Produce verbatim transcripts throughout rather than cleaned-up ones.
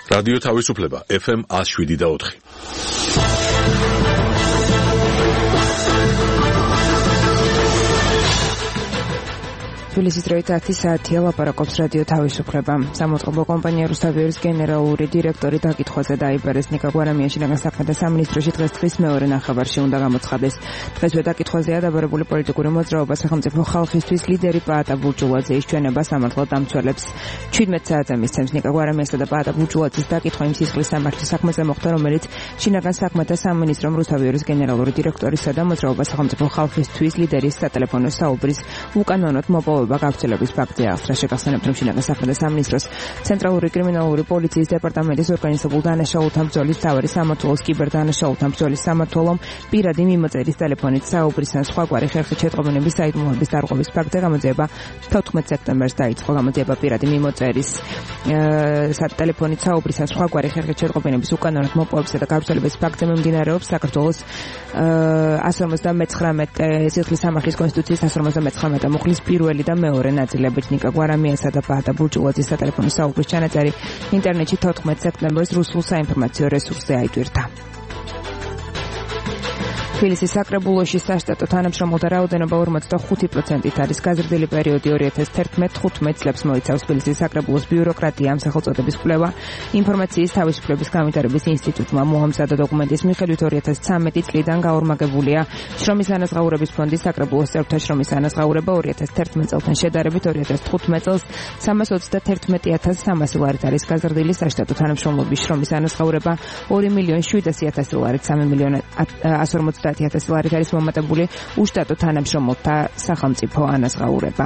რადიო თავისუფლება ეფ ემ one oh seven და four. თბილისის დროით ათი საათია, ლაპარაკობს რადიო თავისუფლება. სამოწყობლო კომპანია რუსთავიერის გენერალური დირექტორი დაკითხვაზე დაიბარეს. ნიკა გვარამია შინაგან საქმეთა სამინისტროში დღეს თვის მეორე ნახევარში უნდა გამოცხადეს. დღესვე დაკითხვაზეა დაბარებული პოლიტიკური მოძრაობა სახელმწიფო ხალხისთვის ლიდერი პაატა ბურჯულაძე. ის ჩვენება სამართლად დამცველებს. შვიდმეტ საათზე მისცემს. ნიკა გვარამიასა და პაატა ბურჯულაძის დაკითხვა იმ სისხლის სამართლის საქმეზე მოხდა, რომელიც შინაგან საქმეთა სამინისტრომ რუსთავიერის გენერალური დირექტორისა და მოძრაობა სახელმწიფო ხალხისთვის ლიდერის სატელეფონო საუბრის უკანონოდ მოპოვება გავრცელების ფაქტი აღსრა. შეგახსენებთ, რომ შინაგან საქმეთა სამინისტროს ცენტრალური კრიმინალური პოლიციის დეპარტამენტის ორგანიზებულ დანაშაულთა ბრძოლის მთავარი სამმართველოს კიბერდანაშაულთა ბრძოლის სამმართველომ პირადი მიმოწერის ტელეფონით საუბრის ან სხვაგვარი ხერხით შეტყობინების საიდუმლოების დარღვევის ფაქტზე გამოძიება თოთხმეტ სექტემბერს დაიწყო. გამოძიება პირადი მიმოწერის ტელეფონით საუბრის ან სხვაგვარი ხერხით შეტყობინების უკანონოდ მოპოვებისა და გავრცელების ფაქტზე მიმდინარეობს საქართველოს one forty-nine სისხლის სამართლის კონსტიტუციის one forty-nine მუხლის პირველი და მეორე ნაწილებით. ნიკა გვარამიასა და პაატა ბურჯულაძის სატელეფონო საუბრის ჩანაწერი ინტერნეტში თოთხმეტ სექტემბერს რუსულ საინფორმაციო რესურსზე აიტვირთა. თბილისის საკრებულოში საშტატო თანამშრომელთა რაოდენობა ორმოცდახუთი პროცენტით არის. გაზრდილი პერიოდი two thousand thirteen ხუთმეტ წლებს მოიცავს. თბილისის საკრებულოს ბიუროკრატია ამ სახელწოდების კვლევა ინფორმაციის თავისუფლების განვითარების ინსტიტუტმა მოამზადა. დოკუმენტის მიხედვით two thousand thirteen წლიდან გაორმაგებულია შრომის ანაზღაურების ფონდის საკრებულოს წევრთა შრომის ანაზღაურება. two thousand thirteen წელთან შედარებით two thousand fifteen წელს სამას ოცდაათერთმეტი ათას სამასი ლარით არის. გაზრდილი საშტატო თანამშრომლობის შრომის ანაზღაურება two მილიონი შვიდასი ათასი ლარით, three მილიონი one hundred forty ათასი ლარით არის მომატებული უშტატო თანამშრომელთა სახელმწიფო ანაზღაურება.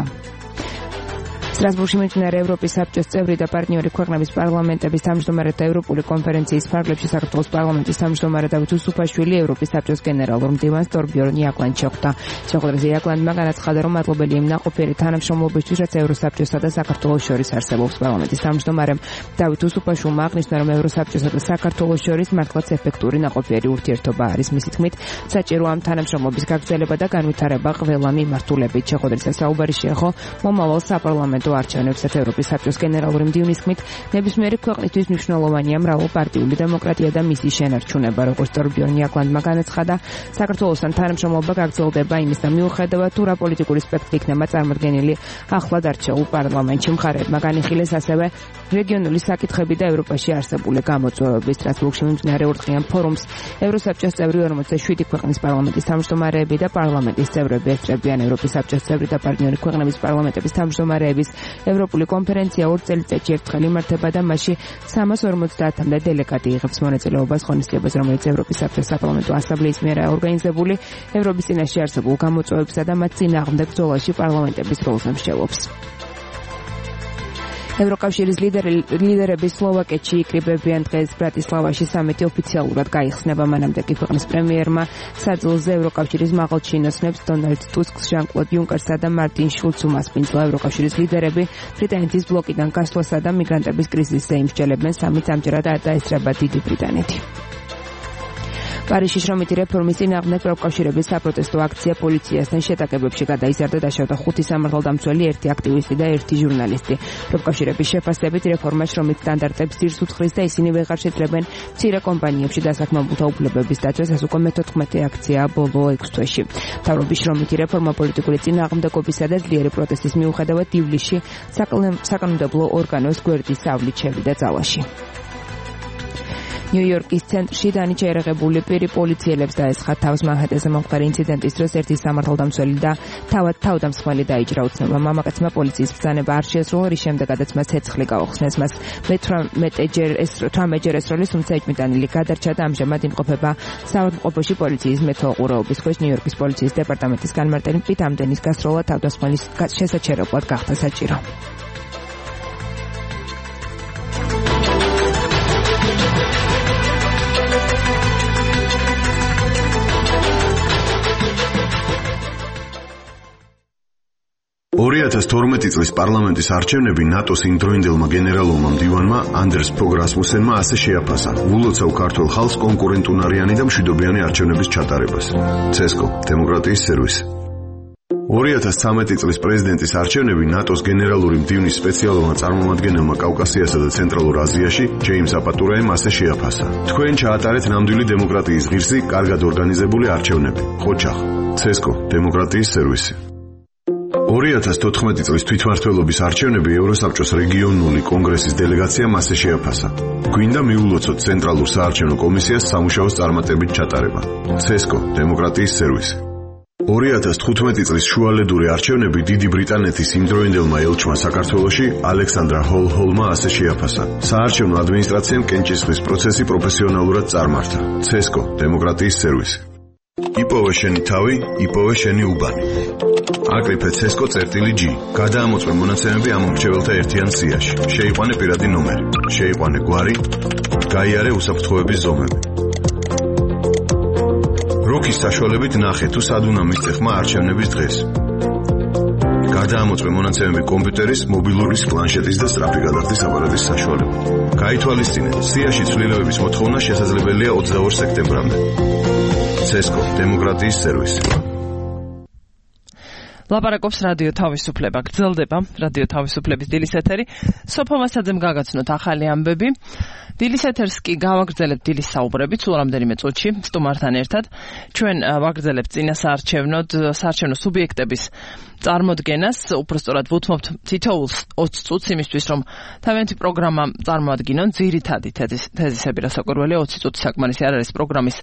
სტრასბურგში მიმდინარე ევროპის საბჭოს წევრი და პარტნიორი ქვეყნების პარლამენტების თავმჯდომარეთა ევროპული კონფერენციის ფარგლებში საქართველოს პარლამენტის თავმჯდომარე დავით უსუფაშვილი ევროპის საბჭოს გენერალურ მდივანს თორბიორნ იაკლანდს შეხვდა. შეხვედრაზე იაკლანდმა განაცხადა, რომ მადლობელი იმ ნაყოფიერი თანამშრომლობისთვის, რაც ევროსაბჭოსა და საქართველოს შორის არსებობს. პარლამენტის თავმჯდომარემ დავით უსუფაშვილმა აღნიშნა, რომ ევროსაბჭოსა და საქართველოს შორის მართლაც ეფექტური ნაყოფიერი ურთიერთობა არის. მისი თქმით, საჭირო ამ თანამშრომლობის გაგრძელება და განვითარება ყველა მიმართულებით. შეხვედრისა საუბარი შეეხო მომავალ საპარლამენტო არჩევნებსაც. ევროპის საბჭოს გენერალური მდივნის თქმით, ნებისმიერი ქვეყნისთვის მნიშვნელოვანია მრავალპარტიული დემოკრატია და მისი შენარჩუნება. როგორც თორბიორნ იაკლანდმა განაცხადა, საქართველოსთან თანამშრომლობა გაგრძელდება იმისა მიუხედავად, თუ რა პოლიტიკური სპექტრი იქნება წარმოდგენილი ახლად არჩეულ პარლამენტში. მხარეებმა განიხილეს ასევე რეგიონული საკითხები და ევროპაში არსებული გამოწვევები. სტრასბურგში მიმდინარე ორდღიან ფორუმს ევროსაბჭოს წევრი ორმოცდაშვიდი ქვეყნის პარლამენტის თავმჯდომარეები და პარლამენტის წევრები ესწრებიან. ევროპის საბჭოს წევრი და პარტნიორი ქვეყნების პარლამენტების თავმჯდომარეების ევროპული კონფერენცია ორ წელიწადში ერთხელ იმართება და მასში სამას ორმოცდაათამდე დელეგატი იღებს მონაწილეობას. ღონისძიებას, რომელიც ევროპის საბჭოს საპარლამენტო ასამბლეის მიერ ორგანიზებული, ევროპის წინაშე არსებულ გამოწვევებსა და მათ წინააღმდეგ ბრძოლაში პარლამენტების როლს ამსჯელობს. ევროკავშირის ლიდერები სლოვაკეთში იკრიბებიან. დღეს ბრატისლავაში სამიტი ოფიციალურად გაიხსნება. მანამდე კი ქვეყნის პრემიერმა საძილზე ევროკავშირის მაღალჩინოსნებს დონალდ ტუსკს, ჟან-კლოდ იუნკერსსა და მარტინ შულცს უმასპინძლა. ევროკავშირის ლიდერები ბრიტანეთის ბლოკიდან გასვლასა და მიგრანტების კრიზისზე იმსჯელებენ. სამიტს ამჯერად დაესწრება დიდი ბრიტანეთი. პარიზში შრომითი რეფორმის წინააღმდეგ პროფკავშირების საპროტესტო აქცია პოლიციასთან შეტაკებებში გადაიზარდა. დაშავდა ხუთი სამართალდამცველი, ერთი აქტივისტი და ერთი ჟურნალისტი. პროფკავშირების შეფასებით რეფორმა შრომით სტანდარტებს ძირს უძღვის და ისინი ვეღარ შეძლებენ მცირე კომპანიებში დასაქმებულთა უფლებების დაცვას. ეს უკვე მეთოთხმეტე აქციაა ბოლო ექვს თვეში. მთავრობის შრომითი რეფორმა პოლიტიკური წინააღმდეგობისა და ძლიერი პროტესტის მიუხედავად ივლისში საკანონმდებლო ორგანოს გვერდისავლით შევიდა ძალაში. ნიუ-იორკის ცენტრში დანიჭა ერაღებული პირი პოლიციელებს დაესხა. თავს მანჰეტენზე მომხდარი ინციდენტის დროს ერთი სამართალდამცველი და თავად თავდამსხმელი დაიჭრა. უცნობმა მამაკაცმა პოლიციის ბრძანება არ შეასრულა, რის შემდეგაც მას ცეცხლი გაუხსნეს. მას თვრამეტ ჯერ ესროლეს, თუმცა ეჭვმიტანილი გადარჩა და ამჟამად იმყოფება საავადმყოფოში პოლიციის მეთვალყურეობის ქვეშ. ნიუ-იორკის პოლიციის დეპარტამენტის განმარტებით ამდენის გასროლა თავდამსხმელის შესაჩერებლად გახდა საჭირო. ორი ათას თორმეტი წლის პარლამენტის არჩევნები ნატოს იმდროინდელმა გენერალურმა მდივანმა ანდერს ფოგ რასმუსენმა ასე შეაფასა: "ვულოცავ ქართულ ხალხს კონკურენტუნარიანი და მშვიდობიანი არჩევნების ჩატარებას." ცესკო, დემოკრატიის სერვისი. ორი ათას ცხრამეტი წლის პრეზიდენტის არჩევნები ნატოს გენერალური მდივნის სპეციალურმა წარმომადგენელმა კავკასიასა და ცენტრალურ აზიაში ჯეიმს აპატურაემ ასე შეაფასა. თქვენ ჩაატარეთ ნამდვილი დემოკრატიის ღირსი, კარგად ორგანიზებული არჩევნები. ხოჩახ, ცესკო, დემოკრატიის სერვისი. ორი ათას თოთხმეტი წლის თვითმმართველობის არჩევნები ევროსაბჭოს რეგიონული კონგრესის დელეგაციამ ასე შეაფასა. გვინდა მიულოცოთ ცენტრალურ საარჩევნო კომისიას სამუშაოს წარმატებით ჩატარება. ცესკო, დემოკრატიის სერვისი. ორი ათას თხუთმეტი წლის შუალედური არჩევნები დიდი ბრიტანეთის იმდროინდელმა ელჩმა საქართველოში ალექსანდრა ჰოლ-ჰოლმა ასე შეაფასა. საარჩევნო ადმინისტრაციამ კენჭისყრის პროცესი პროფესიონალურად წარმართა. ცესკო, დემოკრატიის სერვისი. იპოვე შენი თავი, იპოვე შენი უბანი. აკრიფე ცესკო წერტილი G. გადაამოწმე მონაცემები ამ მრჩეველთა ერთიან სიაში. შეიყვანე პირადი ნომერი. შეიყვანე გვარი. გაიარე უსაფრთხოების ზომები. როქის საშუალებით ნახე თუ სად უნდა მისცე ხმა არჩევნების დღეს. გადაამოწმე მონაცემები კომპიუტერის, მობილურის, პლანშეტის და სწრაფი გადახდის აპარატის საშუალებით. გაითვალისწინე, სიაში ცვლილებების მოთხოვნა შესაძლებელია ოცდაორ სექტემბრამდე. ცესკო, დემოკრატიის სერვისი. ლაპარაკობს რადიო თავისუფლება. გრძელდება რადიო თავისუფლების დილის ეთერი. სოფო მასაძემ გაგაცნოთ ახალი ამბები. დილის ეთერს კი გავაგრძელებთ დილის საუბრებით სულ რამდენიმე წუთში სტუმართან ერთად. ჩვენ ვაგრძელებთ წინა საარჩევნოდ საარჩევნო სუბიექტების წარმოდგენას, უпростоრად ვუთმობთ თითოეულს ოცი წუთს იმისთვის, რომ თავიანთი პროგრამა წარმოადგინონ, ძირითადი თეზისები რასაკვირველია, ოცი წუთი საკმარისი არ არის პროგრამის,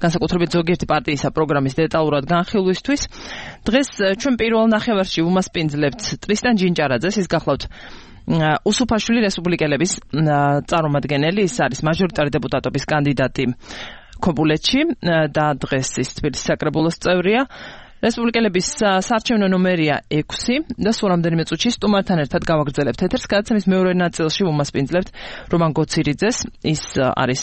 განსაკუთრებით ზოგიერთი პარტიისა პროგრამის დეტალურად განხილვისთვის. დღეს ჩვენ პირველ ნახევარში უმასპინძლებთ ტრისტან ჯინჭარაძეს, ის გახლავთ უსუფაშვილი რესპუბლიკელების წარმომადგენელი, ის არის მაჟორიტარი დეპუტატობის კანდიდატი ქობულეთში და დღეს ის თბილისის საკრებულოს წევრია. რესპუბლიკელების საარჩევნო ნომერია ექვსი და სულ რამდენიმე წუთში სტუმართან ერთად გავაგრძელებთ ეთერს. გადაცემის მეორე ნაწილში უმასპინძლებთ რომან გოცირიძეს, ის არის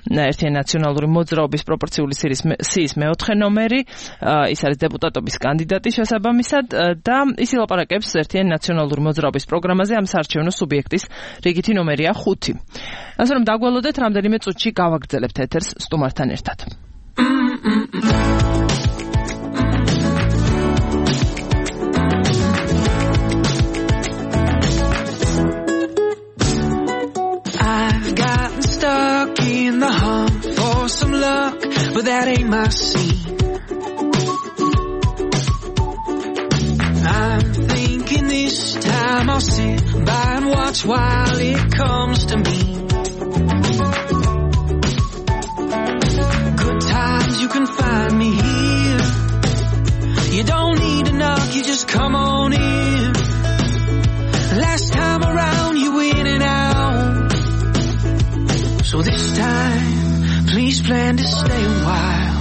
ერთიანი ნაციონალური მოძრაობის პროპორციული სიის მეოთხე ნომერი, ის არის დეპუტატობის კანდიდატი შესაბამისად და ის ილაპარაკებს ერთიანი ნაციონალური მოძრაობის პროგრამაზე, ამ საარჩევნო სუბიექტის რიგითი ნომერია ხუთი. ასე რომ დაგველოდეთ რამდენიმე წუთში გავაგრძელებთ ეთერს სტუმართან ერთად. Stuck in the hunt for some luck, but that ain't my scene. I'm thinking this time I'll sit by and watch while it comes to me. Good times, you can find me here. You don't need to knock, you just come on in. Last time around, you in and out. So this time, please plan to stay a while.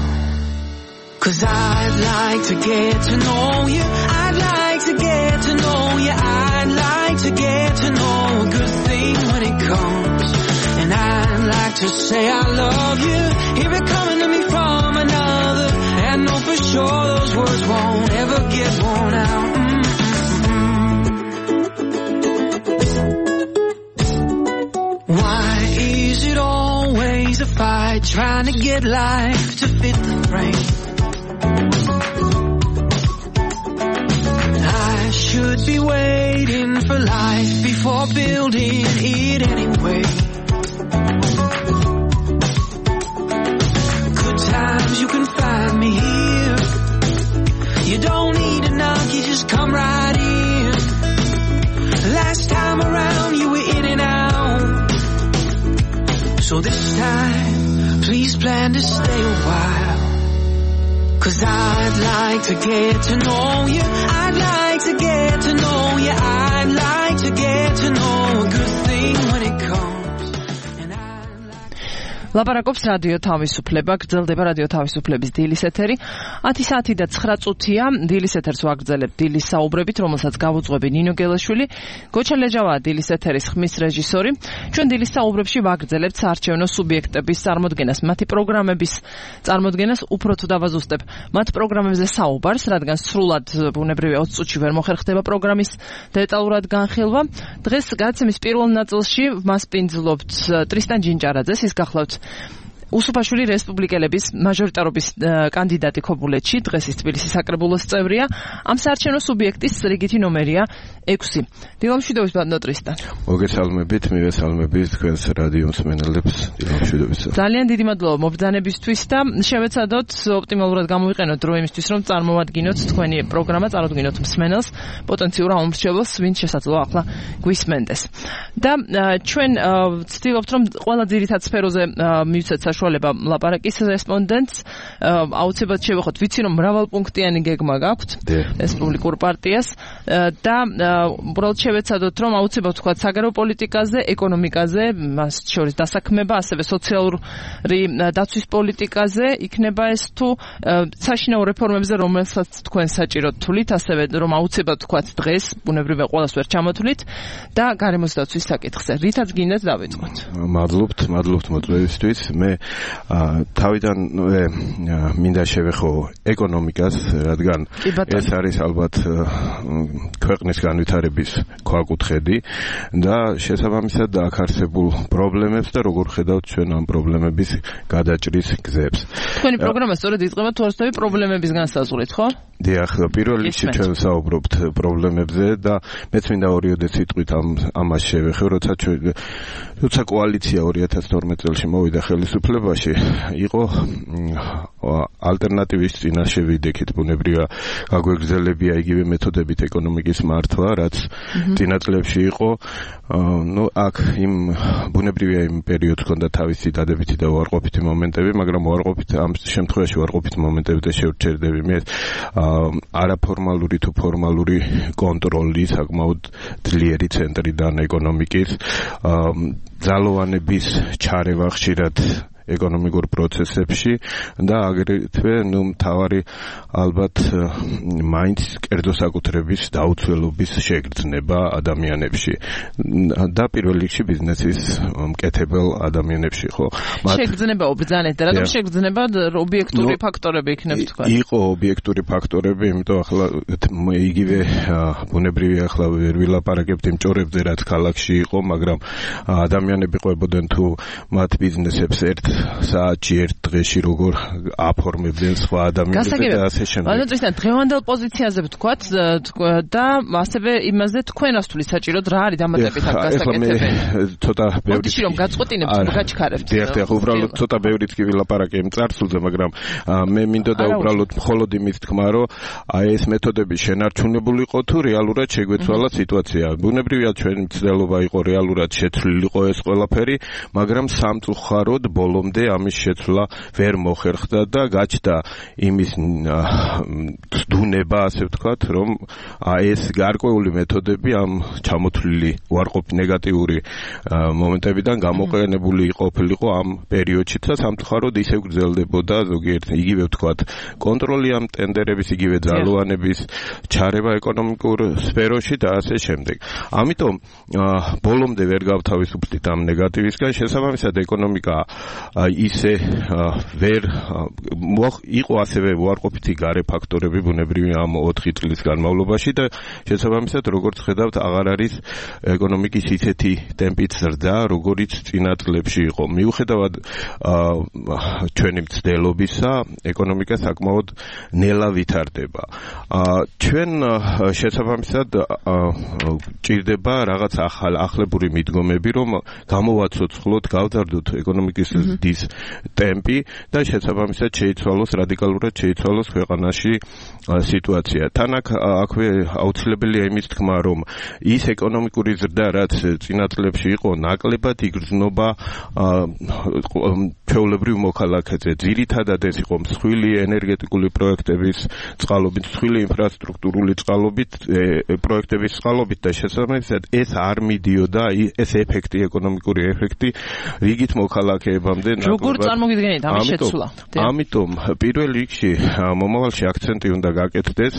Cause I'd like to get to know you. I'd like to get to know you. I'd like to get to know a good thing when it comes. And I'd like to say I love you. Hear it coming to me from another. And know for sure those words won't ever get worn out. Why is it always a fight trying to get life to fit the frame? I should be waiting for life before building it anyway. Good times, you can find me here. You don't need to knock, you just come right in. Last time around, you were in and out. So this time, please plan to stay a while. Cause I'd like to get to know you. I'd like to get to know you. I'd like to get to know a good thing when it comes. ლაპარაკობს რადიო თავისუფლება, გრძელდება რადიო თავისუფლების დილის ეთერი. ათი საათი და ცხრა წუთია, დილის ეთერს ვაგრძელებთ დილის საუბრებით, რომელსაც გავუძღვები ნინო გელაშვილი. გოჩა ლეჯავაა დილის ეთერის ხმის რეჟისორი. ჩვენ დილის საუბრებში ვაგრძელებთ საარჩევნო სუბიექტების წარმოდგენას, მათი პროგრამების წარმოდგენას, უფრო თუ დავაზუსტებ მათ პროგრამებზე საუბარს, რადგან სრულად ბუნებრივია ოცი წუთში ვერ მოხერხდება პროგრამის დეტალურად განხილვა. დღეს გადაცემის პირველ ნაწილში მასპინძლობთ ტრისტან ჯინჭარაძეს, ის გახლავთ უსუფაშვილი რესპუბლიკელების მაჟორიტარობის კანდიდატი ქობულეთში, დღეს ის თბილისის საკრებულოს წევრია. ამ საარჩევნო სუბიექტის რიგითი ნომერია ექვსი. დილამშვიდობის ბატონო ტრისტან. მოგესალმებით, მივესალმებით თქვენს რადიო მსმენელებს. დილამშვიდობის. ძალიან დიდი მადლობა მობრძანებისთვის და შევეცადოთ ოპტიმალურად გამოვიყენოთ დრო იმისთვის, რომ წარმოვადგინოთ თქვენი პროგრამა, წარუდგინოთ მსმენელს, პოტენციურ ამომრჩეველს, ვინც შესაძლოა ახლა გვისმენდეს. და ჩვენ ვცდილობთ, რომ ყველა ძირითად სფეროზე მივცეთ საშუალება ლაპარაკის რესპონდენტს. აუცილებლად შევეხოთ, ვიცი რომ მრავალპუნქტიანი გეგმა გაქვთ რესპუბლიკურ პარტიას და უბრალოდ შევეცადოთ, რომ აუცილებლად თქვა საგარეო პოლიტიკაზე, ეკონომიკაზე, მას შორის დასაქმება, ასევე სოციალური დაცვის პოლიტიკაზე იქნება ეს თუ საშინაო რეფორმებზე, რომელსაც თქვენ საჭიროდ თვლით, ასევე რომ აუცილებლად თქვა დღეს, ბუნებრივია ყველას ვერ ჩამოთვლით და გარემოს დაცვის საკითხზე. რითაც გინდათ დავიწყოთ. მადლობთ, მადლობთ მოწვევისთვის. მე თავიდან მინდა შევეხო ეკონომიკას, რადგან ეს არის ალბათ ქვეყნის განვითარების ქვაკუთხედი და შესაბამისად აქ არსებულ პრობლემებს და როგორ ხედავთ ჩვენ ამ პრობლემების გადაჭრის გზებს. თქვენი პროგრამა სწორედ იწყება თუ არსებობი პრობლემების განსაზღვრით, ხო? დიახ, პირველ რიგში ჩვენ საუბრობთ პრობლემებზე და მეც მინდა ორიოდე სიტყვით ამ ამას შევეხო, როცა ჩვენ როცა კოალიცია ორი ათას თორმეტ წელს მოვიდა ხელისუფლებაში, იყო ალტერნატივის წინაშე ვიდექით, ბუნებრივია გაგვეგრძელებია იგივე მეთოდებით ეკონომიკის მართვა, რაც წინა წლებში იყო. ნუ აქ იმ ბუნებრივია იმ პერიოდს ჰქონდა თავისი დადებითი და უარყოფითი მომენტები, მაგრამ უარყოფით ამ შემთხვევაში უარყოფით მომენტები შევჩერდები მე არაფორმალური თუ ფორმალური კონტროლი საკმაოდ ძლიერი ცენტრიდან ეკონომიკის ძალოვანების ჩარევა ხშირად ეკონომიკურ პროცესებში და აგრეთვე ნუ მთავარი ალბათ მაინც კერძო საკუთრების დაუცველობის შეგრძნება ადამიანებში და პირველ რიგში ბიზნესის მკეთებელ ადამიანებში, ხო? შეგრძნება უბრძანეთ და რადგან შეგრძნება ობიექტური ფაქტორები იქნება თქვა. იყო ობიექტური ფაქტორები, იმიტომ ახლა იგივე ბუნებრივია ახლა ვერ ვილაპარაკებთ იმ ჭორებზე, რაც ქალაქში იყო, მაგრამ ადამიანები ყვებოდნენ თუ მათ ბიზნესებს ერთ საათში ერთ დღეში როგორ აფორმებდნენ სხვა ადამიანები და ასე შემდეგ. ანუ წესთან დღევანდელ პოზიციაზე ვთქვათ და ასევე იმაზე თქვენ რას თulis საჭიროდ რა არის დამატებით აქ გასაკეთებელი. ცოტა ბევრი ისე რომ გაწყვეტინებთ, გაჩქარებთ. დიახ, დიახ, უბრალოდ ცოტა ბევრიც კი ვილაპარაკე იმ წარსულზე, მაგრამ მე მინდოდა უბრალოდ მხოლოდ იმის თქმა, რომ აი ეს მეთოდები შენარჩუნებული იყო თუ რეალურად შეგვეცვალა სიტუაცია. ბუნებრივია ჩვენი მცდელობა იყო რეალურად შეცვლილიყო ეს ყველაფერი, მაგრამ სამწუხაროდ ბოლომდე ამის შეცვლა ვერ მოხერხდა და გაჩნდა იმის დუნება, ასე ვთქვათ, რომ ეს გარკვეული მეთოდები ამ ჩამოთვლილი უარყოფი ნეგატიური მომენტებიდან გამოყენებული ყოფილიყო ამ პერიოდში და სამწუხაროდ ისე გრძელდებოდა ზოგიერთ იგივე ვთქვათ კონტროლი ამ ტენდერების, იგივე ძალოვანების ჩარევა ეკონომიკურ სფეროში და ასე შემდეგ. ამიტომ ბოლომდე ვერ გავთავისუფლდით ამ ნეგატივისგან, შესაბამისად ეკონომიკა ისე ვერ იყო ასევე უარყოფითი გარე ფაქტორები ბუნებრივია ამ ოთხი წლის განმავლობაში და შესაბამისად როგორც ხედავთ აღარ არის ეკონომიკის ისეთი ტემპით ზრდა, როგორიც წინა წლებში იყო. მიუხედავად ჩვენი მცდელობისა, ეკონომიკა საკმაოდ ნელა ვითარდება. ჩვენ შესაბამისად ჭირდება რაღაც ახლებური მიდგომები, რომ გამოვაცოცხლოთ, გავზარდოთ ეკონომიკის ზრდის ტემპი და შესაბამისად შეიცვალოს რადიკალურად შეიცვალოს ქვეყანაში სიტუაცია. თან აქ აქვე აუცილებელია იმის თქმა, რომ ის ეკონომიკური ზრდა, რაც წინა წლებში იყო, ნაკლებად იგრძნობა ჩვეულებრივ მოქალაქეზე. ძირითადად ეს იყო მსხვილი ენერგეტიკული პროექტების წყალობით, მსხვილი ინფრასტრუქტურული წყალობით, პროექტების წყალობით და შესაბამისად ეს არ მიდიოდა, ეს ეფექტი, ეკონომიკური ეფექტი რიგით მოქალაქეებამდე როგორ წარმოგიდგენთ ამის შეცვლა? ამიტომ პირველ რიგში მომავალში აქცენტი უნდა გაკეთდეს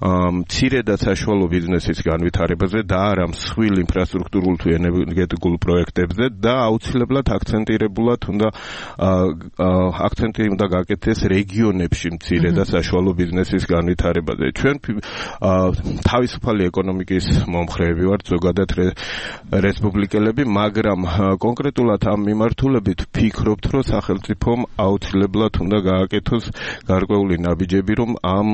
მცირე და საშუალო ბიზნესის განვითარებაზე და არა მსხვილ ინფრასტრუქტურულ თუ ენერგეტიკულ პროექტებზე და აუცილებლად აქცენტირებულად უნდა აქცენტი უნდა გაკეთდეს რეგიონებში მცირე და საშუალო ბიზნესის განვითარებაზე. ჩვენ თავისუფალი ეკონომიკის მომხრეები ვართ ზოგადად რესპუბლიკელები, მაგრამ მაგრამ კონკრეტულად ამ მიმართულებით ვფიქრობთ, რომ სახელმწიფომ აუცილებლად უნდა გააკეთოს გარკვეული ნაბიჯები, რომ ამ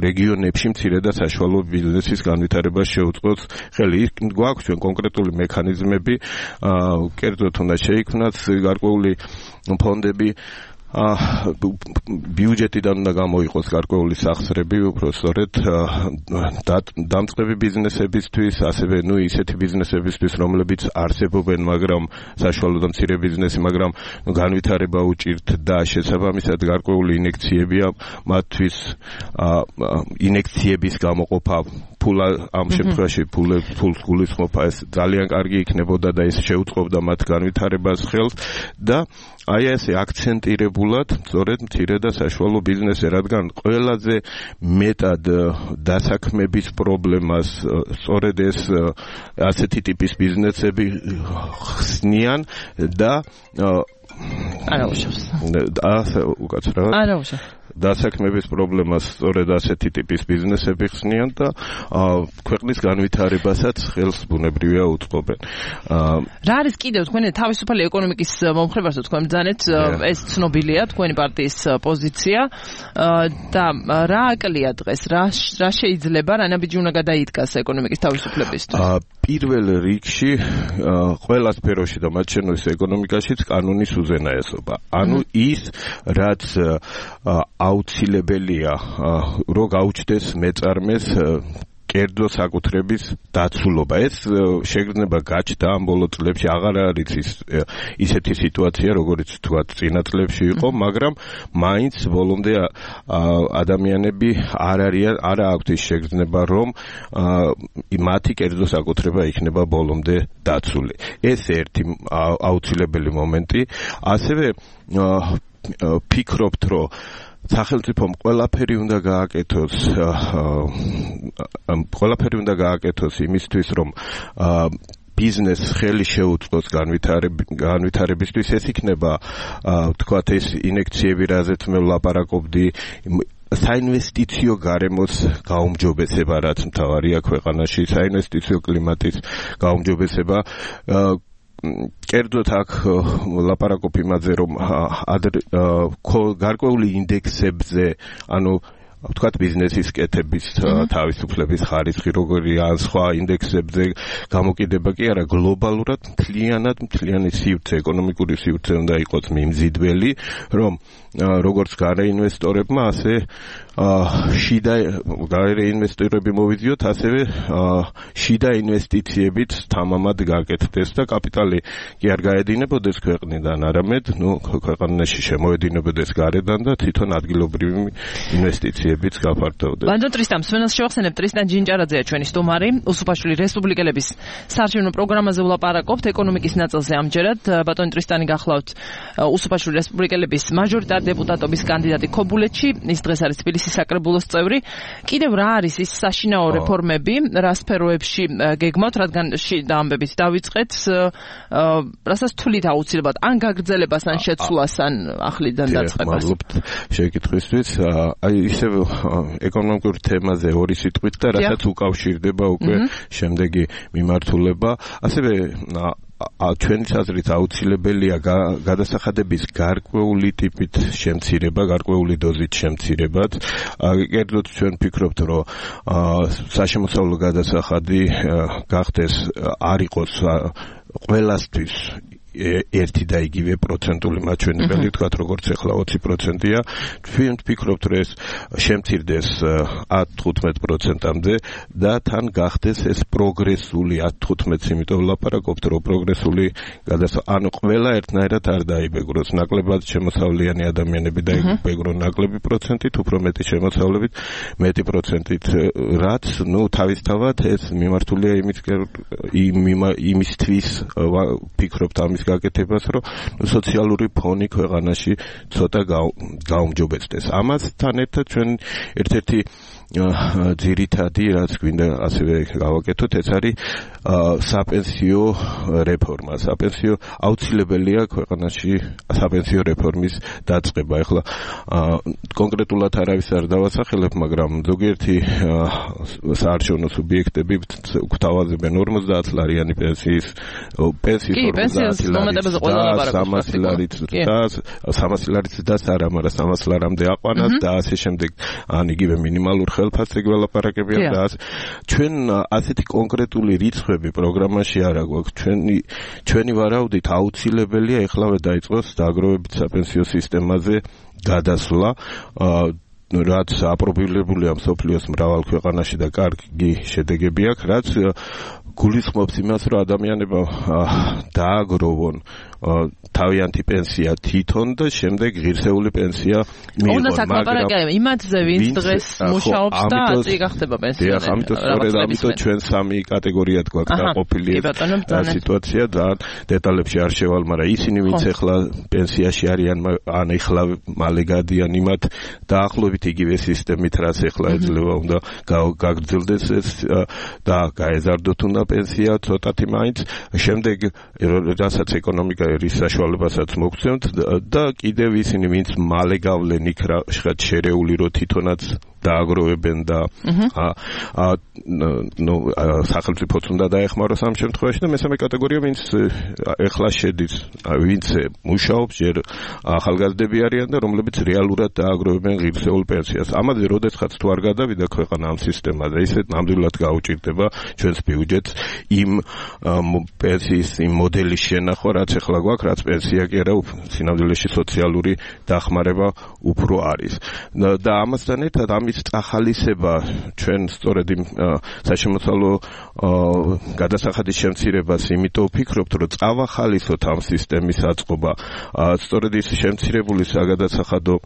რეგიონებში მცირე და საშუალო ბიზნესის განვითარებას შეუწყოს ხელი. გვაქვს ჩვენ კონკრეტული მექანიზმები, კერძოდ უნდა შეიქმნას გარკვეული ფონდები, ბიუჯეტიდან უნდა გამოიყოს გარკვეული სახსრები, უფრო სწორედ დამწყები ბიზნესებისთვის, ასევე ნუ ისეთი ბიზნესებისთვის, რომლებიც არსებობენ, მაგრამ საშუალო და მცირე ბიზნესი, მაგრამ განვითარება უჭირთ და შესაბამისად გარკვეული ინექციებია მათთვის, ინექციების გამოყოფა, ფულა ამ შემთხვევაში ფულს გულისხმობა, ეს ძალიან კარგი იქნებოდა და ეს შეუწყობდა მათ განვითარებას ხელს და აი ესე აქცენტირებულად სწორედ მცირე და საშუალო ბიზნესი, რადგან ყველაზე მეტად დასაქმების პრობლემას სწორედ ეს ასეთი ტიპის ბიზნესები ხსნიან და არაუშავს. ასე უკაცრავად. არაუშავს. დასაქმების პრობლემას სწორედ ასეთი ტიპის ბიზნესები ხსნიან და ქვეყნის განვითარებასაც ხელს ბუნებრივია უწყობენ. რა არის კიდევ თქვენი თავისუფალი ეკონომიკის მომხრებასო თქვენ ბრძანეთ, ეს ცნობილია თქვენი პარტიის პოზიცია და რა აკლია დღეს, რა რა შეიძლება რა ნაბიჯი უნდა გადაიდგას ეკონომიკის თავისუფლებისთვის? პირველ რიგში ყველა სფეროში და მათ შორის ეკონომიკაშიც კანონის უზენაესობა. ანუ ის რაც აუცილებელია რომ გაუჩნდეს მეწარმეს კერძო საკუთრების დაცულობა. ეს შეგრძნება გაჩნდა ამ ბოლო წლებში, აღარ არის ისეთი სიტუაცია, როგორიც თქვა წინა წლებში იყო, მაგრამ მაინც ბოლომდე ადამიანები არ არიან, არ აქვთ ის შეგრძნება, რომ მათი კერძო საკუთრება იქნება ბოლომდე დაცული. ეს ერთი აუცილებელი მომენტი. ასევე ფიქრობთ, რომ სახელმწიფომ ყველაფერი უნდა გააკეთოს ყველაფერი უნდა გააკეთოს იმისთვის, რომ ბიზნესს ხელი შეუწყოს განვითარებისთვის. ეს იქნება თქვათ ეს ინექციები, რაზეც მე ვლაპარაკობდი, საინვესტიციო გარემოს გაუმჯობესება, რაც მთავარია ქვეყანაში, საინვესტიციო კლიმატის გაუმჯობესება. კერძოდ აქ ლაპარაკობ იმაზე, რომ გარკვეული ინდექსებზე, ანუ ვთქვათ ბიზნესის კეთების თავისუფლების ხარისხი როგორია, ან სხვა ინდექსებზე გამოკიდება კი არა, გლობალურად მთლიანად მთლიანი სივრცე, ეკონომიკური სივრცე უნდა იყოს მიმზიდველი, რომ როგორც გარე ინვესტორებმა, ასე შიდა გარე ინვესტორები მოვიძიოთ, ასევე შიდა ინვესტიციებიც თამამად გაკეთდეს და კაპიტალი კი არ გაედინებოდეს ქვეყნიდან, არამედ ნუ ქვეყანაში შემოედინებოდეს გარედან და თვითონ ადგილობრივი ინვესტიციებიც გაფართოვდეს. ბატონ ტრისტან, მსმენელს შევახსენებ, ტრისტან ჯინჭარაძეა ჩვენი სტუმარი, უსუფაშვილი რესპუბლიკელების საარჩევნო პროგრამაზე ვლაპარაკობთ ეკონომიკის ნაწილზე ამჯერად. ბატონ ტრისტანი გახლავთ უსუფაშვილი რესპუბლიკელების მაჟორიტარ დეპუტატობის კანდიდატი ქობულეთში, ის დღეს არის თბილისის საკრებულოს წევრი. კიდევ რა არის ის საშინაო რეფორმები, რა სფეროებში გეგმავთ, რადგან შიდა ამბებით დავიწყეთ, რასაც თვლით აუცილებლად ან გაგრძელებას, ან შეცვლას, ან ახლიდან დაწყებას? მადლობთ შეკითხვისთვის. აი ისევ ეკონომიკურ თემაზე ორი სიტყვით და რასაც უკავშირდება უკვე შემდეგი მიმართულება, ასევე ჩვენი აზრით აუცილებელია გადასახადების გარკვეული ტიპით შემცირება, გარკვეული დოზით შემცირებაც. კერძოდ ჩვენ ვფიქრობთ, რომ საშემოსავლო გადასახადი გახდეს არ იყოს ყველასთვის ერთი და იგივე პროცენტული მაჩვენებელი, თქვათ როგორც ახლა ოცი პროცენტია. ჩვენ ვფიქრობთ, რომ ეს შემცირდეს ათ თხუთმეტ პროცენტამდე და თან გახდეს ეს პროგრესული ათ თხუთმეტს, იმიტომ ვლაპარაკობთ, რომ პროგრესული გადასა, ანუ ყველა ერთნაირად არ დაიბეგროს, ნაკლებად შემოსავლიანი ადამიანები დაიბეგრონ ნაკლები პროცენტით, უფრო მეტი შემოსავლებით მეტი პროცენტით, რაც ნუ თავისთავად ეს მიმართულია იმისთვის ვფიქრობთ ამის გაკეთებას, რომ სოციალური ფონი ქვეყანაში ცოტა გაუმჯობესდეს. ამასთან ერთად ჩვენ ერთ-ერთი ძირითადი რაც გვინდა ასევე გავაკეთოთ ეს არის საპენსიო რეფორმა. საპენსიო აუცილებელია ქვეყანაში საპენსიო რეფორმის დაწყება. ეხლა კონკრეტულად არავის არ დავასახელებ, მაგრამ ზოგიერთი საარჩევნო სუბიექტები გვთავაზებენ ორმოცდაათ ლარიანი პენსიის პენსიის ორმოცდაათ ლარით სამას ლარით და სამას ლარით და არა, მაგრამ სამას ლარამდე აყვანათ და ასე შემდეგ, ან იგივე მინიმალურ ხელფასზე გველაპარაკებიან და ჩვენ ასეთი კონკრეტული რიცხვები პროგრამაში არ აგვაქვს. ჩვენი ჩვენი ვარაუდით აუცილებელია ეხლავე დაიწყოს დააგროვებით საპენსიო სისტემაზე გადასვლა, რაც აპრობირებულია მსოფლიოს მრავალ ქვეყანაში და კარგი შედეგები აქვს, რაც გულისხმობს იმას, რომ ადამიანებმა დააგროვონ თავიანთი პენსია თვითონ და შემდეგ ღირსეული პენსია მიიღონ. უნდა საკმაყარაკია იმათზე, ვინც დღეს მუშაობს და აწი გახდება პენსიონერი. დიახ, ამიტომ სწორედ ამიტომ ჩვენ სამი კატეგორიად გვაქვს დაყოფილი სიტუაცია და დეტალებში არ შევალ, მაგრამ ისინი ვინც ახლა პენსიაში არიან, ან ახლა მალე გადიან, იმათ დაახლოებით იგივე სისტემით, რაც ახლა ეძლევა, უნდა გაგრძელდეს ეს და გაეზარდოთ უნდა პენსია ცოტათი მაინც. შემდეგ რასაც ეკონომიკა რის საშუალებასაც მოგცემთ და კიდევ ისინი ვინც მალე გავლენ იქ რა შერეული რო თვითონაც დააგროვებენ და ნუ სახელმწიფოც უნდა დაეხმაროს ამ შემთხვევაში და მესამე კატეგორია ვინც ეხლა შედის, ვინც მუშაობს, ჯერ ახალგაზრდები არიან და რომლებიც რეალურად დააგროვებენ ღირსეულ პენსიას. ამაზე როდესაც თუ არ გადავიდა ქვეყანა ამ სისტემაზე, ისე ნამდვილად გაუჭირდება ჩვენს ბიუჯეტს იმ პენსიის იმ მოდელის შენახვა, რაც ეხლა გვაქვს, რაც პენსია კი არა, სინამდვილეში სოციალური დახმარება უფრო არის. და ამასთან ერთად ამის წახალისება ჩვენ სწორედ იმ საშემოსავლო გადასახადის შემცირებას იმიტომ ვფიქრობთ, რომ წავახალისოთ ამ სისტემის აწყობა. სწორედ ის შემცირებული საგადასახადო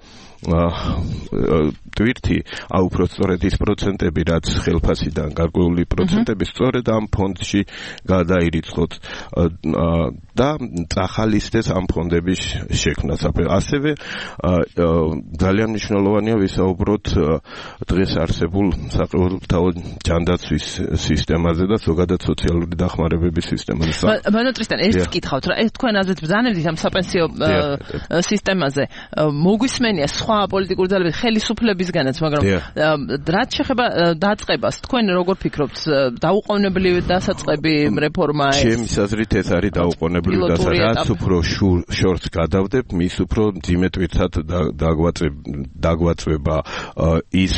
ტვირთი, აუ უფრო სწორედ ის პროცენტები, რაც ხელფასიდან გარკვეული პროცენტები სწორედ ამ ფონდში გადაირიცხოთ და წახალისდეს ამ ფონდების შექმნას. ასევე ძალიან მნიშვნელოვანია ვისაუბროთ დღეს არსებულ საყოველთაო ჯანდაცვის სისტემაზე და ზოგადად სოციალური დახმარებების სისტემაზე. ბანო ტრისტან, ეს გითხავთ რა, ეს თქვენ აზრით ბრძანებთ ამ საპენსიო სისტემაზე. მოგვისმენია სხვა პოლიტიკური ძალების ხელისუფლებისგანაც, მაგრამ რაც შეეხება დაწყებას, თქვენ როგორ ფიქრობთ, დაუყოვნებლივ დასაწყები რეფორმა ეს? ჩემი აზრით ეს არის დაუყოვნებლივ დასაწყები. რაც უფრო შორს გადავდებ, მის უფრო მძიმე ტვირთად დაგვაწვება ის